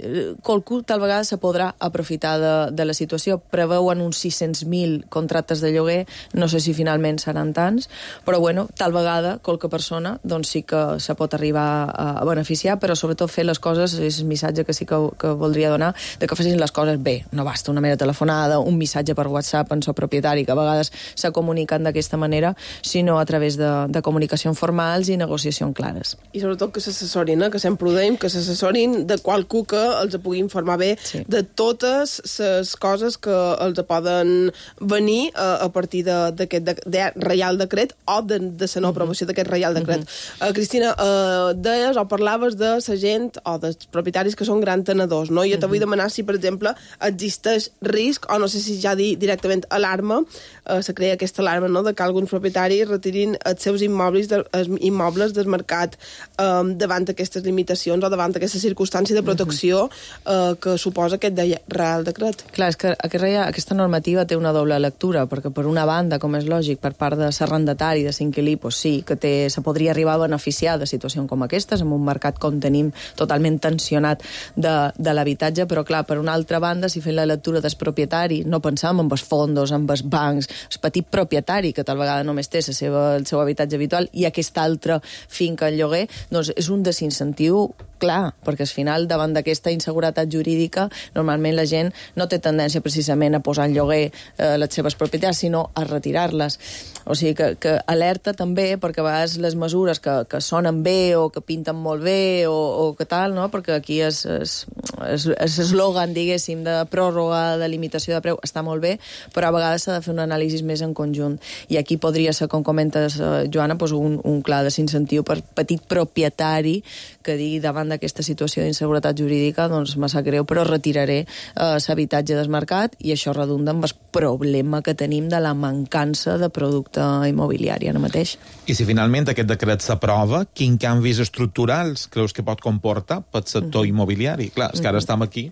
Qualcú tal vegada se podrà aprofitar de, de la situació. Preveuen uns sis-cents mil contractes de lloguer, no sé si finalment seran tants, però bueno, tal vegada qualque persona doncs sí que se pot arribar a, a beneficiar, però sobretot fer les coses, és el missatge que sí que, que voldria donar, de que facin les coses bé. No basta una mera telefonada, un missatge per WhatsApp en el propietari, que a vegades se comuniquen d'aquesta manera, sinó a través de de comunicació formals i negociació clares. I sobretot que s'assessorin, eh? Que sempre ho dèiem, que s'assessorin de qualcú que els pugui informar bé sí. de totes les coses que els poden venir a, a partir d'aquest de, de, de Reial Decret o de, de la no aprovació d'aquest Reial Decret. Uh-huh. uh, Cristina, uh, deies o parlaves de la gent o dels propietaris que són gran tenedors, no? I jo te vull demanar si, per exemple, existeix risc, o no sé si ja dir directament alarma, uh, se crea aquesta alarma, no?, de que alguns propietaris retirin els seus immobles, de, immobles desmarcat eh, davant aquestes limitacions o davant aquesta circumstància de protecció eh, que suposa aquest de Real Decret. Clar, és que aquest, aquesta normativa té una doble lectura, perquè per una banda, com és lògic, per part de l'arrendatari, de l'inquilí, pues sí, que té, se podria arribar a beneficiar de situacions com aquestes, en un mercat com tenim totalment tensionat de, de l'habitatge, però clar, per una altra banda, si fem la lectura del propietari, no pensam en els fondos, en els bancs, el petit propietari, que tal vegada només té la seva, el seu habitatge habitual, i aquesta altra finca en lloguer, doncs és un desincentiu clar, perquè al final, davant d'aquesta inseguretat jurídica, normalment la gent no té tendència precisament a posar en lloguer eh, les seves propietats, sinó a retirar-les. O sigui que, que alerta també, perquè a vegades les mesures que, que sonen bé o que pinten molt bé o, o que tal, no? Perquè aquí és, és, és, és eslògan, diguéssim, de pròrroga, de limitació de preu, està molt bé, però a vegades s'ha de fer un anàlisi més en conjunt. I aquí podria ser, com comentes, eh, Joana, doncs un, un clar desincentiu per petit propietari que digui davant d'aquesta situació d'inseguretat jurídica, doncs me sap greu, però retiraré eh, l'habitatge del mercat i això redunda amb el problema que tenim de la mancança de producte immobiliari ara mateix. I si finalment aquest decret s'aprova, quin canvis estructurals creus que pot comportar pel sector mm-hmm. immobiliari? Clar, és que ara mm-hmm. estem aquí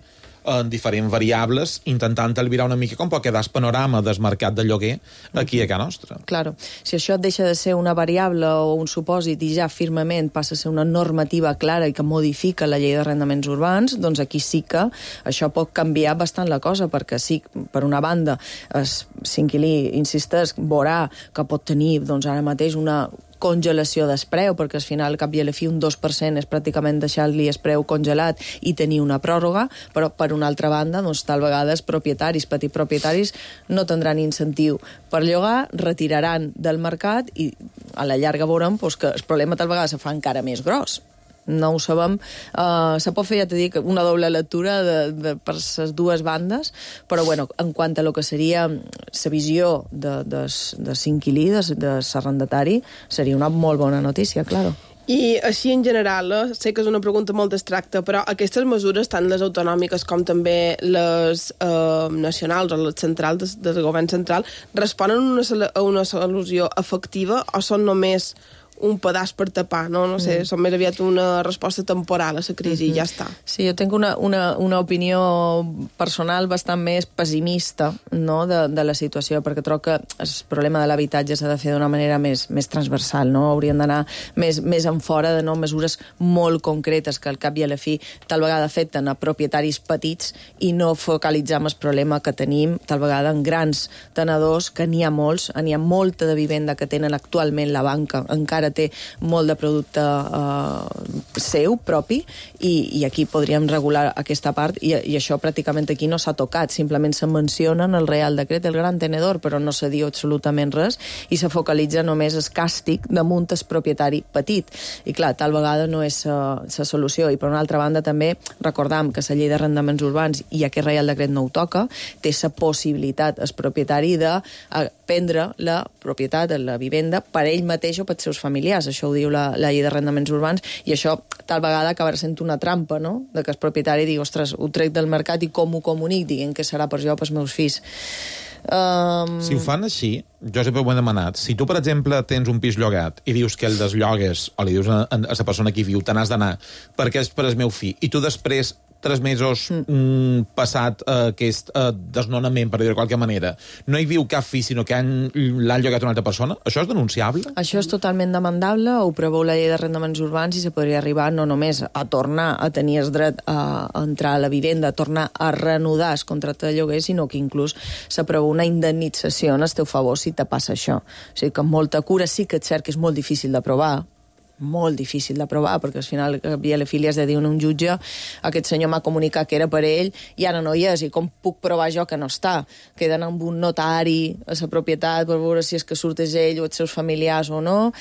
en diferents variables, intentant albirar una mica com pot quedar el panorama del mercat de lloguer aquí a casa nostra. Claro. Si això deixa de ser una variable o un supòsit i ja firmament passa a ser una normativa clara i que modifica la llei d'arrendaments urbans, doncs aquí sí que això pot canviar bastant la cosa, perquè sí, per una banda, l'inquilí, insisteix, veurà que pot tenir doncs, ara mateix una congelació d'espreu, perquè al final, al cap i a la fi, un dos per cent és pràcticament deixar-li espreu congelat i tenir una pròrroga, però per una altra banda, doncs, tal vegada els propietaris, petits propietaris, no tindran incentiu per llogar, retiraran del mercat i a la llarga veurem doncs, que el problema tal vegada se fa encara més gros. No ho sabem. Uh, se pot fer, ja t'he dit, una doble lectura de, de, per les dues bandes, però bueno, en quant a lo que seria la visió de, de, de l'inquilí, de, de l'arrendatari, seria una molt bona notícia, claro. I així en general, eh, sé que és una pregunta molt abstracta, però aquestes mesures, tant les autonòmiques com també les eh, nacionals o les centrals del, del govern central, responen a una, a una solució efectiva o són només un pedaç per tapar, no? No sé, mm. són més aviat una resposta temporal a la crisi mm-hmm. i ja està. Sí, jo tinc una, una, una opinió personal bastant més pessimista, no?, de, de la situació, perquè trobo que el problema de l'habitatge s'ha de fer d'una manera més, més transversal, no? Haurien d'anar més, més en fora de no mesures molt concretes que al cap i a la fi tal vegada afecten a propietaris petits i no focalitzar en el problema que tenim tal vegada en grans tenedors, que n'hi ha molts, n'hi ha molta de vivenda que tenen actualment la banca, encara té molt de producte eh, seu, propi, i, i aquí podríem regular aquesta part, i, i això pràcticament aquí no s'ha tocat, simplement se menciona en el Real Decret el gran tenedor, però no se diu absolutament res, i se focalitza només el càstig damunt el propietari petit. I clar, tal vegada no és la solució. I per una altra banda també recordam que la llei d'arrendaments urbans, i aquest Real Decret no ho toca, té la possibilitat el propietari de prendre la propietat de la vivenda per ell mateix o pels seus familiars. Això ho diu la, la llei d'arrendaments urbans, i això tal vegada acabarà sent una trampa, no?, de que el propietari digui, ostres, ho trec del mercat i com ho comunic, diguem que serà per jo o pels meus fills. Um... Si ho fan així, jo sempre ho he demanat, si tu, per exemple, tens un pis llogat i dius que el desllogues, o li dius a, a la persona que hi viu, te n'has d'anar perquè és per el meu fill, i tu després tres mesos mm, passat uh, aquest uh, desnonament, per dir-ho de qualque manera, no hi viu cap fill, sinó que l'han llogat una altra persona, això és denunciable? Això és totalment demandable, ho preveu la llei d'arrendaments urbans, i se podria arribar no només a tornar a tenir el dret a entrar a la vivenda, a tornar a reanudar el contracte de lloguer, sinó que inclús se preveu una indemnització en el teu favor si te passa això. O sigui que amb molta cura, sí que és cert que és molt difícil d'aprovar, molt difícil d'aprovar, perquè al final havia la filia has de dir a un jutge, aquest senyor m'ha comunicat que era per ell i ara no hi és, i com puc provar jo que no està? Queden amb un notari a la propietat per veure si és que surt és ell o els seus familiars o no.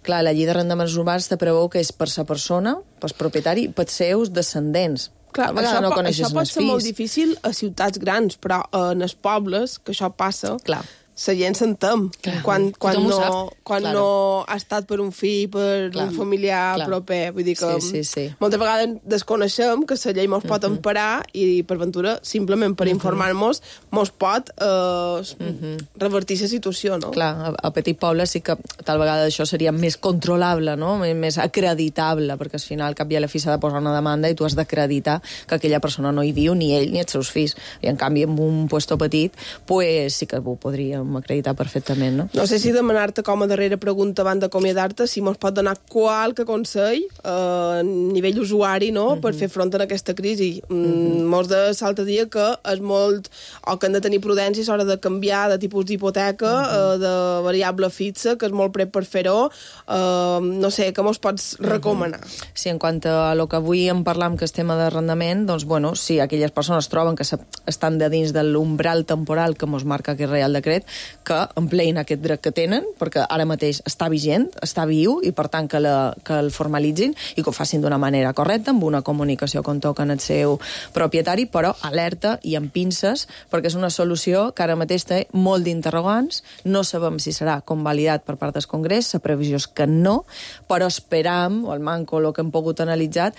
Clar, la llei d'arrendaments urbans te preveu que és per la persona, pel propietari, pels seus descendents. Clar, això, no això pot ser molt difícil a ciutats grans, però en els pobles, que això passa, clar, la gent s'entén. Quan, quan, no, quan claro. no ha estat per un fill, per clar. un familiar clar. proper. Vull dir que sí, sí, sí. moltes vegades desconeixem que la llei mos pot uh -huh. emparar i, per ventura, simplement per uh -huh. informar-nos, mos pot eh, uh -huh. revertir la situació, no? Clar, a, a Petit Poble sí que tal vegada això seria més controlable, no? Més acreditable, perquè al final, cap i a la fi s'ha de posar una demanda i tu has d'acreditar que aquella persona no hi viu, ni ell ni els seus fills. I, en canvi, en un puesto petit, pues, sí que ho podríem acreditar perfectament, no? No sé si demanar-te com a darrera pregunta abans d'acomiadar-te, si mos pot donar qualque consell eh, a nivell usuari, no?, uh -huh. per fer front a aquesta crisi. Mm, uh -huh. Mos de l'altre dia que és molt... o que han de tenir prudència a l'hora de canviar de tipus d'hipoteca, uh -huh. eh, de variable fixa, que és molt pret per fer-ho. Eh, no sé, què mos pots recomanar? Uh -huh. Sí, en quant a lo que avui en parlam, que és tema d'arrendament, doncs, bueno, si aquelles persones troben que estan de dins de l'umbral temporal que mos marca aquest Reial Decret, que empleïn aquest dret que tenen, perquè ara mateix està vigent, està viu, i per tant que, la, que el formalitzin i que ho facin d'una manera correcta, amb una comunicació com toca en el seu propietari, però alerta i amb pinces, perquè és una solució que ara mateix té molt d'interrogants, no sabem si serà convalidat per part del Congrés, la previsió és que no, però esperam, o el manco, el que hem pogut analitzar,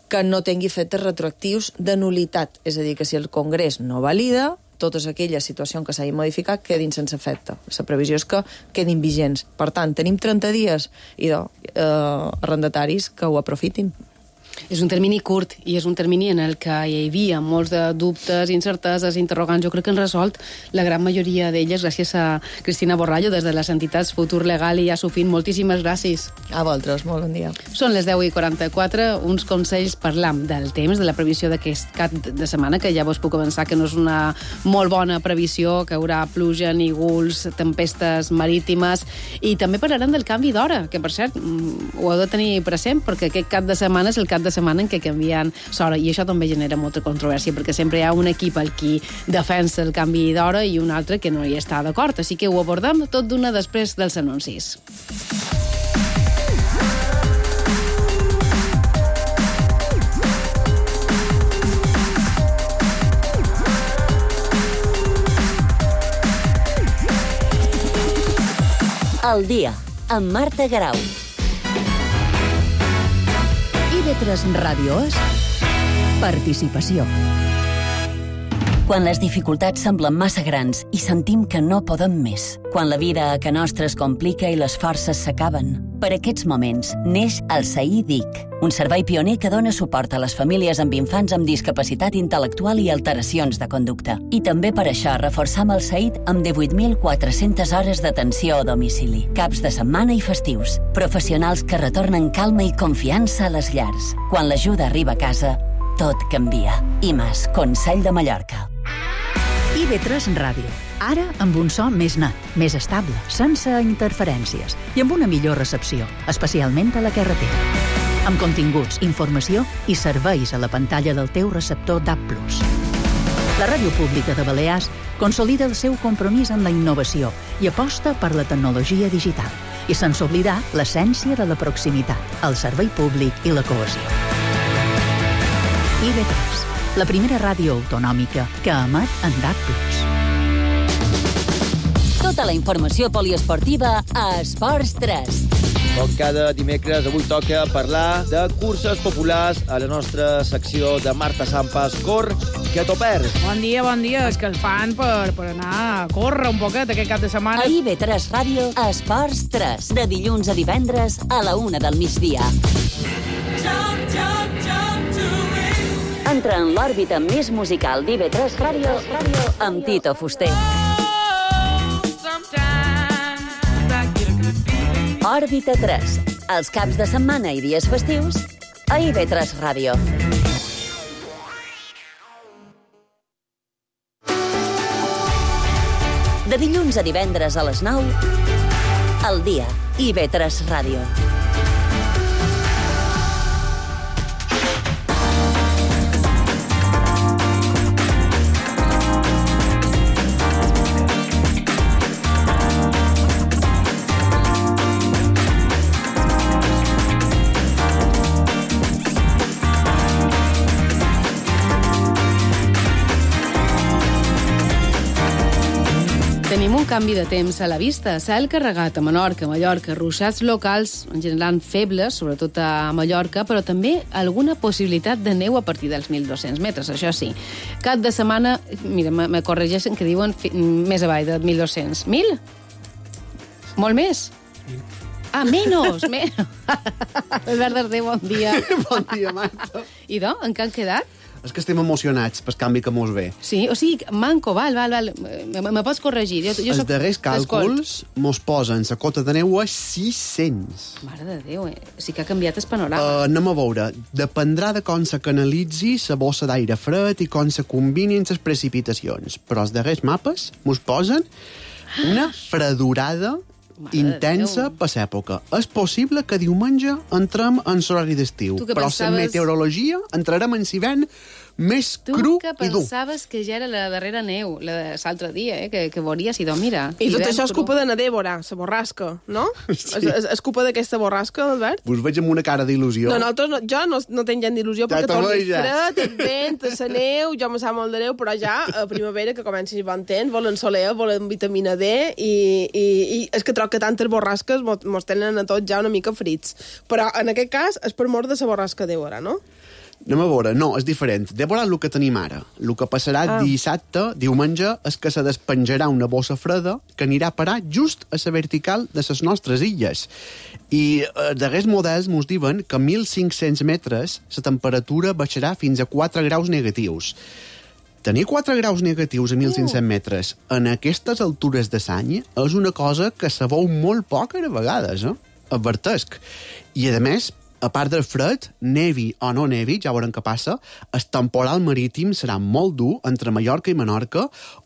que no tingui efectes retroactius de nulitat, és a dir, que si el Congrés no valida, totes aquelles situacions que s'hagin modificat quedin sense efecte. La previsió és que quedin vigents. Per tant, tenim trenta dies i de, eh, arrendataris que ho aprofitin. És un termini curt i és un termini en el que hi havia molts de dubtes, incerteses, interrogants. Jo crec que han resolt la gran majoria d'elles gràcies a Cristina Borrallo des de les entitats Futur Legal i Asufin. Moltíssimes gràcies. A vosaltres, molt bon dia. Són les deu i quaranta-quatre, uns consells parlam del temps, de la previsió d'aquest cap de setmana, que ja vos puc avançar que no és una molt bona previsió, que hi haurà pluja, nígols, tempestes marítimes, i també parlarem del canvi d'hora, que per cert ho heu de tenir present, perquè aquest cap de setmana és el cap de setmana en què canvien l'hora, i això també genera molta controvèrsia, perquè sempre hi ha un equip al qui defensa el canvi d'hora i un altre que no hi està d'acord, així que ho abordem tot d'una després dels anuncis. El dia, amb Marta Garau. I ve tres Ràdio és participació. Quan les dificultats semblen massa grans i sentim que no podem més. Quan la vida a ca nostra es complica i les forces s'acaben. Per aquests moments neix el S A I D I C, un servei pioner que dona suport a les famílies amb infants amb discapacitat intel·lectual i alteracions de conducta. I també per això reforçam el S A I D amb divuit mil quatre-centes hores d'atenció a domicili, caps de setmana i festius. Professionals que retornen calma i confiança a les llars. Quan l'ajuda arriba a casa, tot canvia. I més, Consell de Mallorca. I ve tres Ràdio. Ara amb un so més net, més estable, sense interferències i amb una millor recepció, especialment a la carretera. Amb continguts, informació i serveis a la pantalla del teu receptor D A B plus. La Ràdio Pública de Balears consolida el seu compromís amb la innovació i aposta per la tecnologia digital, i sense oblidar l'essència de la proximitat, el servei públic i la cohesió. I ve tres, la primera ràdio autonòmica que emet en D A B plus. Tota la informació poliesportiva a Esports tres. Com cada dimecres, avui toca parlar de curses populars a la nostra secció de Marta Sampas. Cor, que t'ho perds. Bon dia, bon dia. És que el fan per, per anar a córrer un poquet aquest cap de setmana. A I ve tres Ràdio, a Esports tres, de dilluns a divendres a la una del migdia. Entra en l'òrbita més musical d'I ve tres Ràdio amb Tito Fuster. Òrbita tres, els caps de setmana i dies festius a I ve tres Ràdio. De dilluns a divendres a les nou, al dia, I ve tres Ràdio. Tenim Tenim un canvi de temps a la vista. Cel carregat a Menorca, Mallorca, ruixats locals, en general febles, sobretot a Mallorca, però també alguna possibilitat de neu a partir dels mil dos-cents metres, això sí. Cap de setmana, mira, me, me corregeixen que diuen fi, més avall de mil dos-cents. Mil? Molt més? Ah, menos! menos. Albert Darder, bon dia. Bon dia, Marta. I do, en què han quedat? És que estem emocionats pel canvi que mos ve. Sí, o sigui, manco, val, val, val. Me, me pots corregir? Jo, jo Els soc... darrers càlculs mos posen la cota de neu a sis-cents. Mare de Déu, eh? O sigui que ha canviat el panorama. Uh, anem a veure. Dependrà de com se canalitzi la bossa d'aire fred i com se combinin les precipitacions. Però els darrers mapes mos posen una fredurada Mare intensa per l'època. És possible que diumenge entrem en l'horari d'estiu, però pensaves... la meteorologia entrarem en hivern més tu cru que i dur. pensaves que ja era la darrera neu, la de l'altre dia, eh? que, que veuries i do, mira. I tot això és culpa de na Débora, la borrasca, no? Sí. És, és, és culpa d'aquesta borrasca, Albert? Us veig amb una cara d'il·lusió. No, nosaltres no, jo no, no tinc gent d'il·lusió ja perquè torni fred, el vent, la neu, jo me sap molt de neu, però ja a primavera que comenci a bon temps, volen soler, volen vitamina D, i, i, i és que trobo que tantes borrasques mos, mos tenen a tots ja una mica frits. Però en aquest cas és per mort de la borrasca Débora, no? Anem a veure, no, és diferent. Débora, el que tenim ara. El que passarà ah. dissabte, diumenge, és que se despenjarà una bossa freda que anirà a parar just a la vertical de les nostres illes. I els darrers models ens diuen que a mil cinc-cents metres la temperatura baixarà fins a quatre graus negatius. Tenir quatre graus negatius a mil cinc-cents metres en aquestes altures de l'any és una cosa que se veu molt poc a vegades, eh? Advertesc. I, a més, a part del fred, nevi o no nevi, ja veurem què passa, el temporal marítim serà molt dur entre Mallorca i Menorca,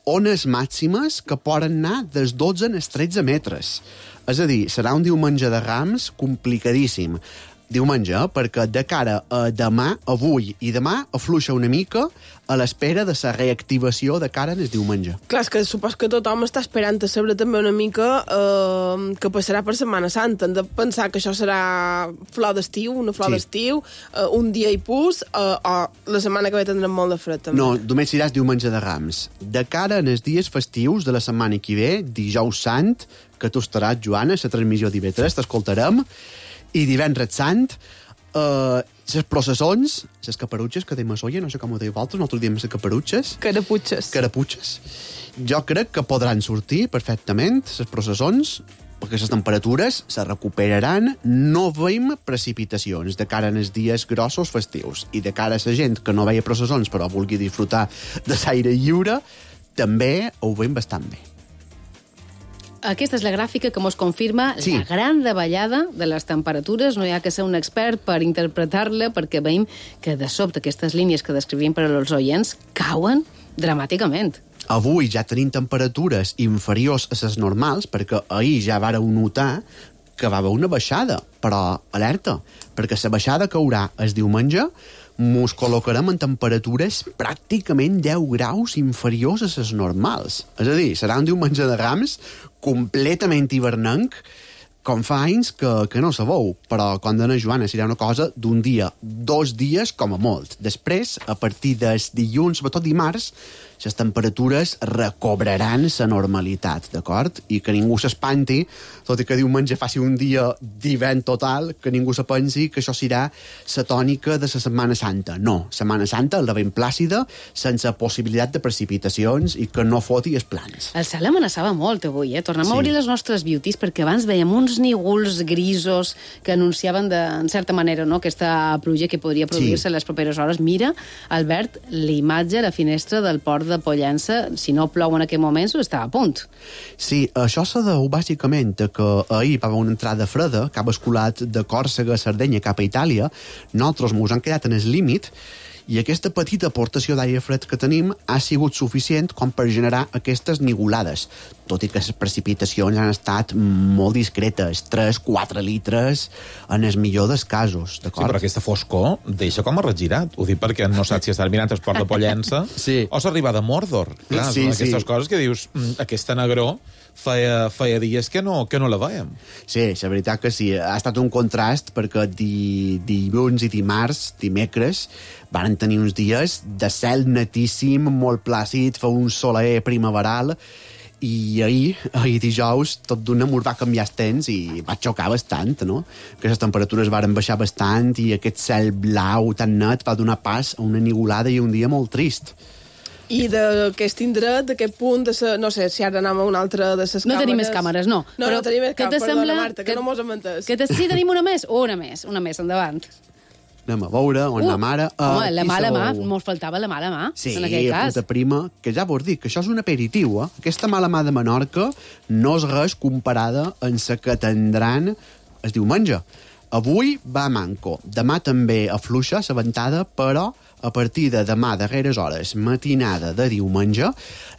ones màximes que poden anar dels dotze als tretze metres. És a dir, serà un diumenge de Rams complicadíssim. Diumenge, eh? Perquè de cara a demà, avui i demà, afluixa una mica a l'espera de la reactivació de cara en el diumenge. Clar, és que supos que tothom està esperant a saber també una mica eh, que passarà per Setmana Santa. Hem de pensar que això serà flor d'estiu, una flor sí. d'estiu, eh, un dia i pus, eh, o la setmana que ve tindrem molt de fred, també. No, només seràs diumenge de Rams. De cara en els dies festius de la setmana que ve, dijous sant, que tu estaràs, Joana, a la transmissió d'I V tres, t'escoltarem, i divendres sant, eh, les processons, les caperutxes, que deim a Soia, no sé com ho dèieu vosaltres, nosaltres diem les caperutxes. Caraputxes. Caraputxes. Jo crec que podran sortir perfectament les processons, perquè les temperatures se recuperaran, no veiem precipitacions de cara als dies grossos festius. I de cara a la gent que no veia processons però vulgui disfrutar de l'aire lliure, també ho veiem bastant bé. Aquesta és la gràfica que mos confirma sí. la gran davallada de les temperatures. No hi ha que ser un expert per interpretar-la, perquè veiem que de sobte aquestes línies que descrivim per als oients cauen dramàticament. Avui ja tenim temperatures inferiors a les normals, perquè ahir ja vàreu notar que va haver una baixada, però alerta, perquè la baixada caurà el diumenge, mos col·locarem en temperatures pràcticament deu graus inferiors a les normals. És a dir, serà un diumenge de Rams completament hivernenc, com fa anys que, que no sabeu, però com dona Joana, serà una cosa d'un dia, dos dies com a molt. Després, a partir dels dilluns, sobretot dimarts, les temperatures recobraran la normalitat, d'acord? I que ningú s'espanti, tot i que diumenge faci un dia d'hivern total, que ningú se pensi que això serà la tònica de la Setmana Santa. No, Setmana Santa, la ben plàcida, sense possibilitat de precipitacions i que no foti els plans. El cel amenaçava molt avui, eh? Tornem sí. a obrir les nostres beauties, perquè abans veiem uns nígols grisos que anunciaven de, en certa manera, no?, aquesta pluja que podria produir-se sí. en les properes hores. Mira, Albert, l'imatge a la finestra del port de Pollença, si no plou en aquest moment, està a punt. Sí, això se deu bàsicament que ahir va haver una entrada freda que ha basculat de Còrsega a Sardenya cap a Itàlia. Nosaltres mos han quedat en el límit i aquesta petita aportació d'aire fred que tenim ha sigut suficient com per generar aquestes nigolades, tot i que les precipitacions han estat molt discretes, tres quatre litres en el millor dels casos, d'acord? Sí, però aquesta foscor deixa com a regirat. Ho dic perquè no saps si estàs mirant el port de Pollença sí. o s'arriba de Mordor. Clar, sí, són aquestes sí. coses que dius, aquesta negror feia, feia dies que no, que no la veiem. Sí, la veritat que sí. Ha estat un contrast perquè di, dilluns i dimarts, dimecres, van tenir uns dies de cel netíssim, molt plàcid, fa un soler primaveral, I ahir, ahir dijous, tot d'una mos va canviar el temps i va xocar bastant, no? Que les temperatures varen baixar bastant i aquest cel blau tan net va donar pas a una nigulada i un dia molt trist. I d'aquest indret, d'aquest punt, de sa, no sé si ara anem a una altra de les càmeres... No tenim més càmeres, no. No, però no tenim més càmeres, perdona, sembla... Marta, que, que no mos hem entès. Que te... Sí, tenim una més? Una més, una més, endavant. Anem a veure on uh, la mare... Uh, home, la mala mà, mos faltava la mala mà, sí, en aquest cas. Sí, puta prima, que ja vos dic, que això és un aperitiu, eh? Aquesta mala mà de Menorca no és res comparada amb la que tindran el diumenge. Avui va manco, demà també afluixa la ventada, però a partir de demà, darreres hores, matinada de diumenge,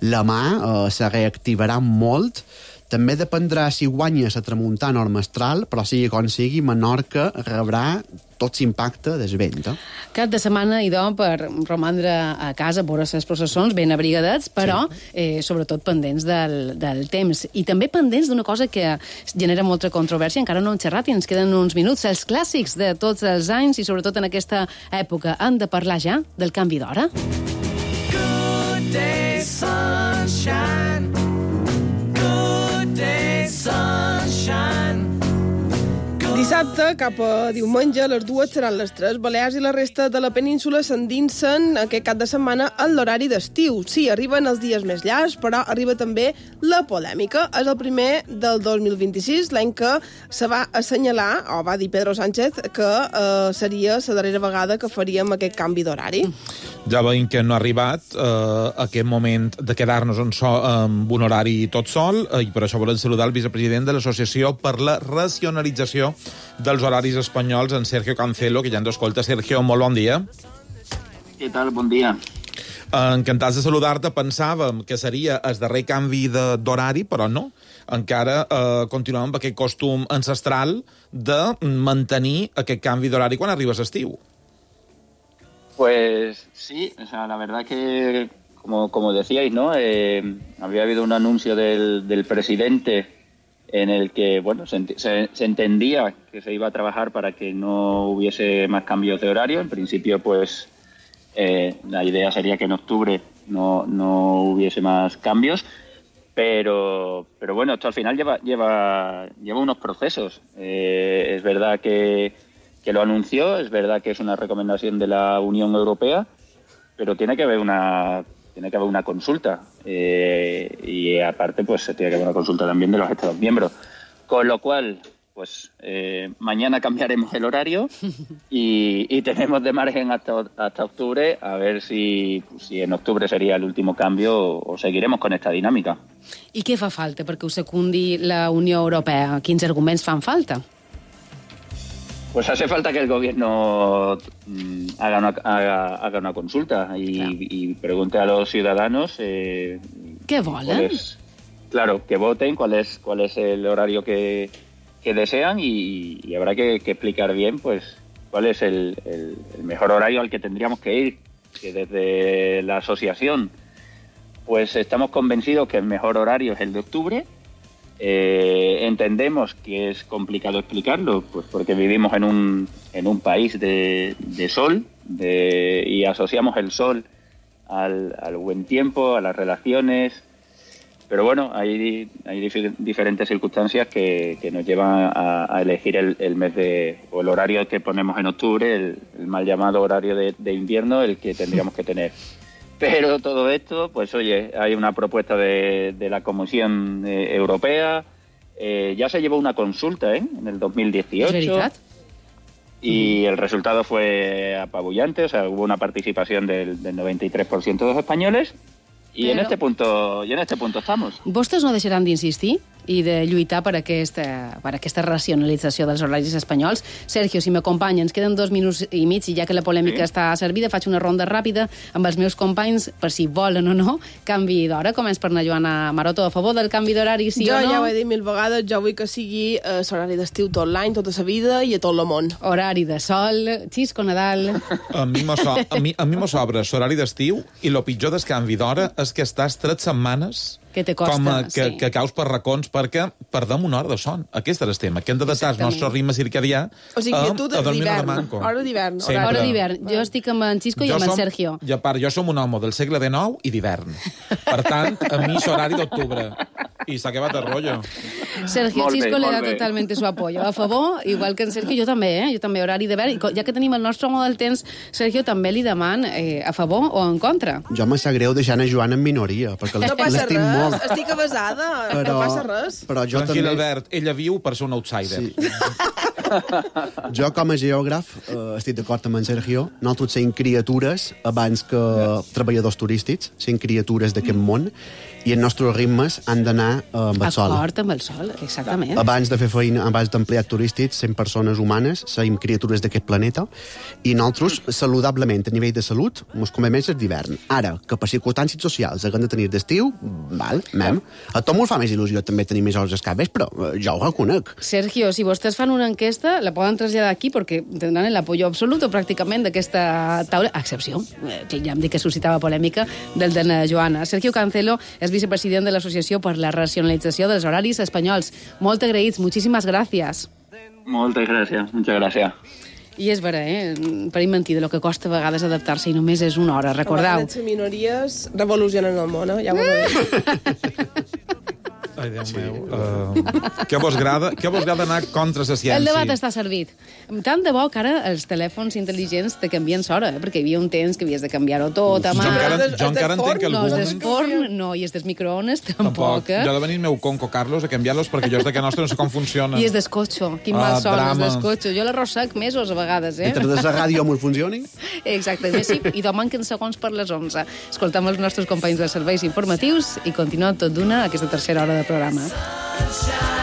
la mà eh, se reactivarà molt. També dependrà si guanya la tramuntana o el mestral, però sigui com sigui, Menorca rebrà tot l'impacte del vent. Eh? Cap de setmana, idò, per romandre a casa, veure les processons ben abrigadets, però sí. eh, sobretot pendents del, del temps. I també pendents d'una cosa que genera molta controvèrsia, encara no hem xerrat i ens queden uns minuts. Els clàssics de tots els anys i sobretot en aquesta època han de parlar ja del canvi d'hora. Good day, sunshine. Good day, sunshine. Dissabte, cap a diumenge, les dues seran les tres. Balears i la resta de la península s'endinsen aquest cap de setmana en l'horari d'estiu. Sí, arriben els dies més llargs, però arriba també la polèmica. És el primer del dos mil vint-i-sis, l'any que se va assenyalar, o va dir Pedro Sánchez, que eh, seria la darrera vegada que faríem aquest canvi d'horari. Ja veiem que no ha arribat eh, aquest moment de quedar-nos en so, amb un horari tot sol, eh, i per això volem saludar el vicepresident de l'Associació per la Racionalització dels Horaris Espanyols, en Sergio Cancelo, que ja ens escolta. Sergio, molt bon dia. Què tal? Bon dia. Encantats de saludar-te. Pensàvem que seria el darrer canvi d'horari, però no. Encara eh, continuem amb aquest costum ancestral de mantenir aquest canvi d'horari quan arriba l'estiu. Pues sí, o sea, la verdad que, como, como decíais, ¿no? Eh, había habido un anuncio del, del presidente en el que, bueno, se, se, se entendía que se iba a trabajar para que no hubiese más cambios de horario. En principio, pues, eh, la idea sería que en octubre no, no hubiese más cambios. Pero, pero bueno, esto al final lleva, lleva, lleva unos procesos. Eh, es verdad que, que lo anunció, es verdad que es una recomendación de la Unión Europea, pero tiene que haber una... tiene que haber una consulta eh, y aparte pues se tiene que haber una consulta también de los Estados miembros, con lo cual pues eh, mañana cambiaremos el horario y, y tenemos de margen hasta, hasta octubre a ver si, si en octubre sería el último cambio o, o seguiremos con esta dinámica. I què fa falta perquè ho secundi la Unió Europea? Quins arguments fan falta? Pues hace falta que el gobierno mmm, haga, una, haga, haga una consulta y, claro. y pregunte a los ciudadanos... Eh, ¿Qué volen? Es, claro, que voten cuál es, cuál es el horario que, que desean y, y habrá que, que explicar bien pues cuál es el, el, el mejor horario al que tendríamos que ir. Que desde la asociación pues estamos convencidos que el mejor horario es el de octubre. Eh, entendemos que es complicado explicarlo, pues porque vivimos en un, en un país de, de sol de, y asociamos el sol al, al buen tiempo, a las relaciones, pero bueno, hay, hay dif- diferentes circunstancias que, que nos llevan a, a elegir el, el mes de, o el horario que ponemos en octubre, el, el mal llamado horario de, de invierno, el que tendríamos que tener. Pero todo esto, pues oye, hay una propuesta de, de la Comisión eh, Europea, eh, ya se llevó una consulta ¿eh? en el dos mil dieciocho. ¿Es verdad? Y el resultado fue apabullante, o sea, hubo una participación del, del noventa y tres por ciento de los españoles. I Però... en este punto i en este punto estamos. Vostès no deixaran d'insistir i de lluitar per aquesta, per aquesta racionalització dels horaris espanyols. Sergio, si m'acompanya, ens queden dos minuts i mig i ja que la polèmica sí. està servida, faig una ronda ràpida amb els meus companys per si volen o no canvi d'hora. Començ per anar Joana Maroto, a favor del canvi d'horari, sí jo o no? Jo ja ho he dit mil vegades, jo vull que sigui eh, l'horari d'estiu tot l'any, tota la vida i a tot el món. Horari de sol, Xisco Nadal... A mi m'ho so, a mi, a mi m'ho sobra l'horari d'estiu i el pitjor del canvi d'hora és que estàs tres setmanes Que te costa, com a, que, sí. que caus per racons perquè perdem una hora de son. Aquest és el tema, que hem d'adaptar el nostre ritme circadià O sigui, a, tu a dormir una d'hivern, manco. hora d'hivern. Sempre. Hora d'hivern. Jo estic amb en Xisco i Jo amb en som- Sergio. I a part, jo som un home del segle dinou i d'hivern. Per tant, a mi és horari d'octubre. I s'ha acabat el rotllo. Sergio Molt bé, Xisco le molt da bé. totalmente su apoyo. A favor, igual que en Sergio, jo també, eh? Jo també, horari d'hivern. I co- ja que tenim el nostre home del temps, Sergio, també li deman eh, a favor o en contra. Jo me sap greu deixant a Joan en minoria, perquè No passa l'estim res, molt. estic avasada, Però, no passa res. però jo Tranquil, també... Albert, ella viu per ser un outsider. Sí. Jo, com a geògraf, eh, estic d'acord amb en Sergio. Nosaltres sent criatures abans que treballadors turístics, sent criatures d'aquest món, i els nostres ritmes han d'anar eh, amb el sol. Acord amb el sol, exactament. Abans de fer feina, abans d'empleats turístics, sent persones humanes, som criatures d'aquest planeta, i nosaltres, saludablement, a nivell de salut, ens comem més d'hivern. Ara, que per circumstàncies socials haguem de tenir d'estiu, val, mem. A tot m'ho fa més il·lusió també tenir més hores escaves, però eh, jo ho reconec. Sergio, si vostès fan una enquesta, la poden traslladar aquí perquè tindran l'apoyo absolut pràcticament d'aquesta taula, a excepció, eh, que ja em dic que suscitava polèmica, del de na Joana. Sergio Cancelo és vicepresident de l'Associació per la Racionalització dels Horaris Espanyols. Molt agraïts, moltíssimes gràcies. Moltes gràcies, muchas gràcies. I és vera, eh? Per mentir de lo que costa a vegades adaptar-se i només és una hora, recordeu. Les minories revolucionen el món, eh? Ja ho he dit. Ai, Déu meu. Uh, què vos agrada? Què vos agrada anar contra la ciència? El debat està servit. Tant de bo que ara els telèfons intel·ligents te canvien l'hora, eh? perquè hi havia un temps que havies de canviar-ho tot a Jo mà. encara, jo encara entenc que No, algú... és del forn, no, i és dels microones, tampoc. Eh? Jo he de venir el meu conco Carlos a canviar-los perquè jo és de que nostre no sé com funciona. I és d'escotxo, quin Ah, mal son, és drama. d'escotxo. Jo l'arròs sec mesos a vegades, eh? Mentre des de ràdio m'ho funcioni. Exacte, més sí, i demà manquen segons per les onze. Escoltam els nostres companys de serveis informatius i continuem tot d'una aquesta tercera hora de programa. Sunshine.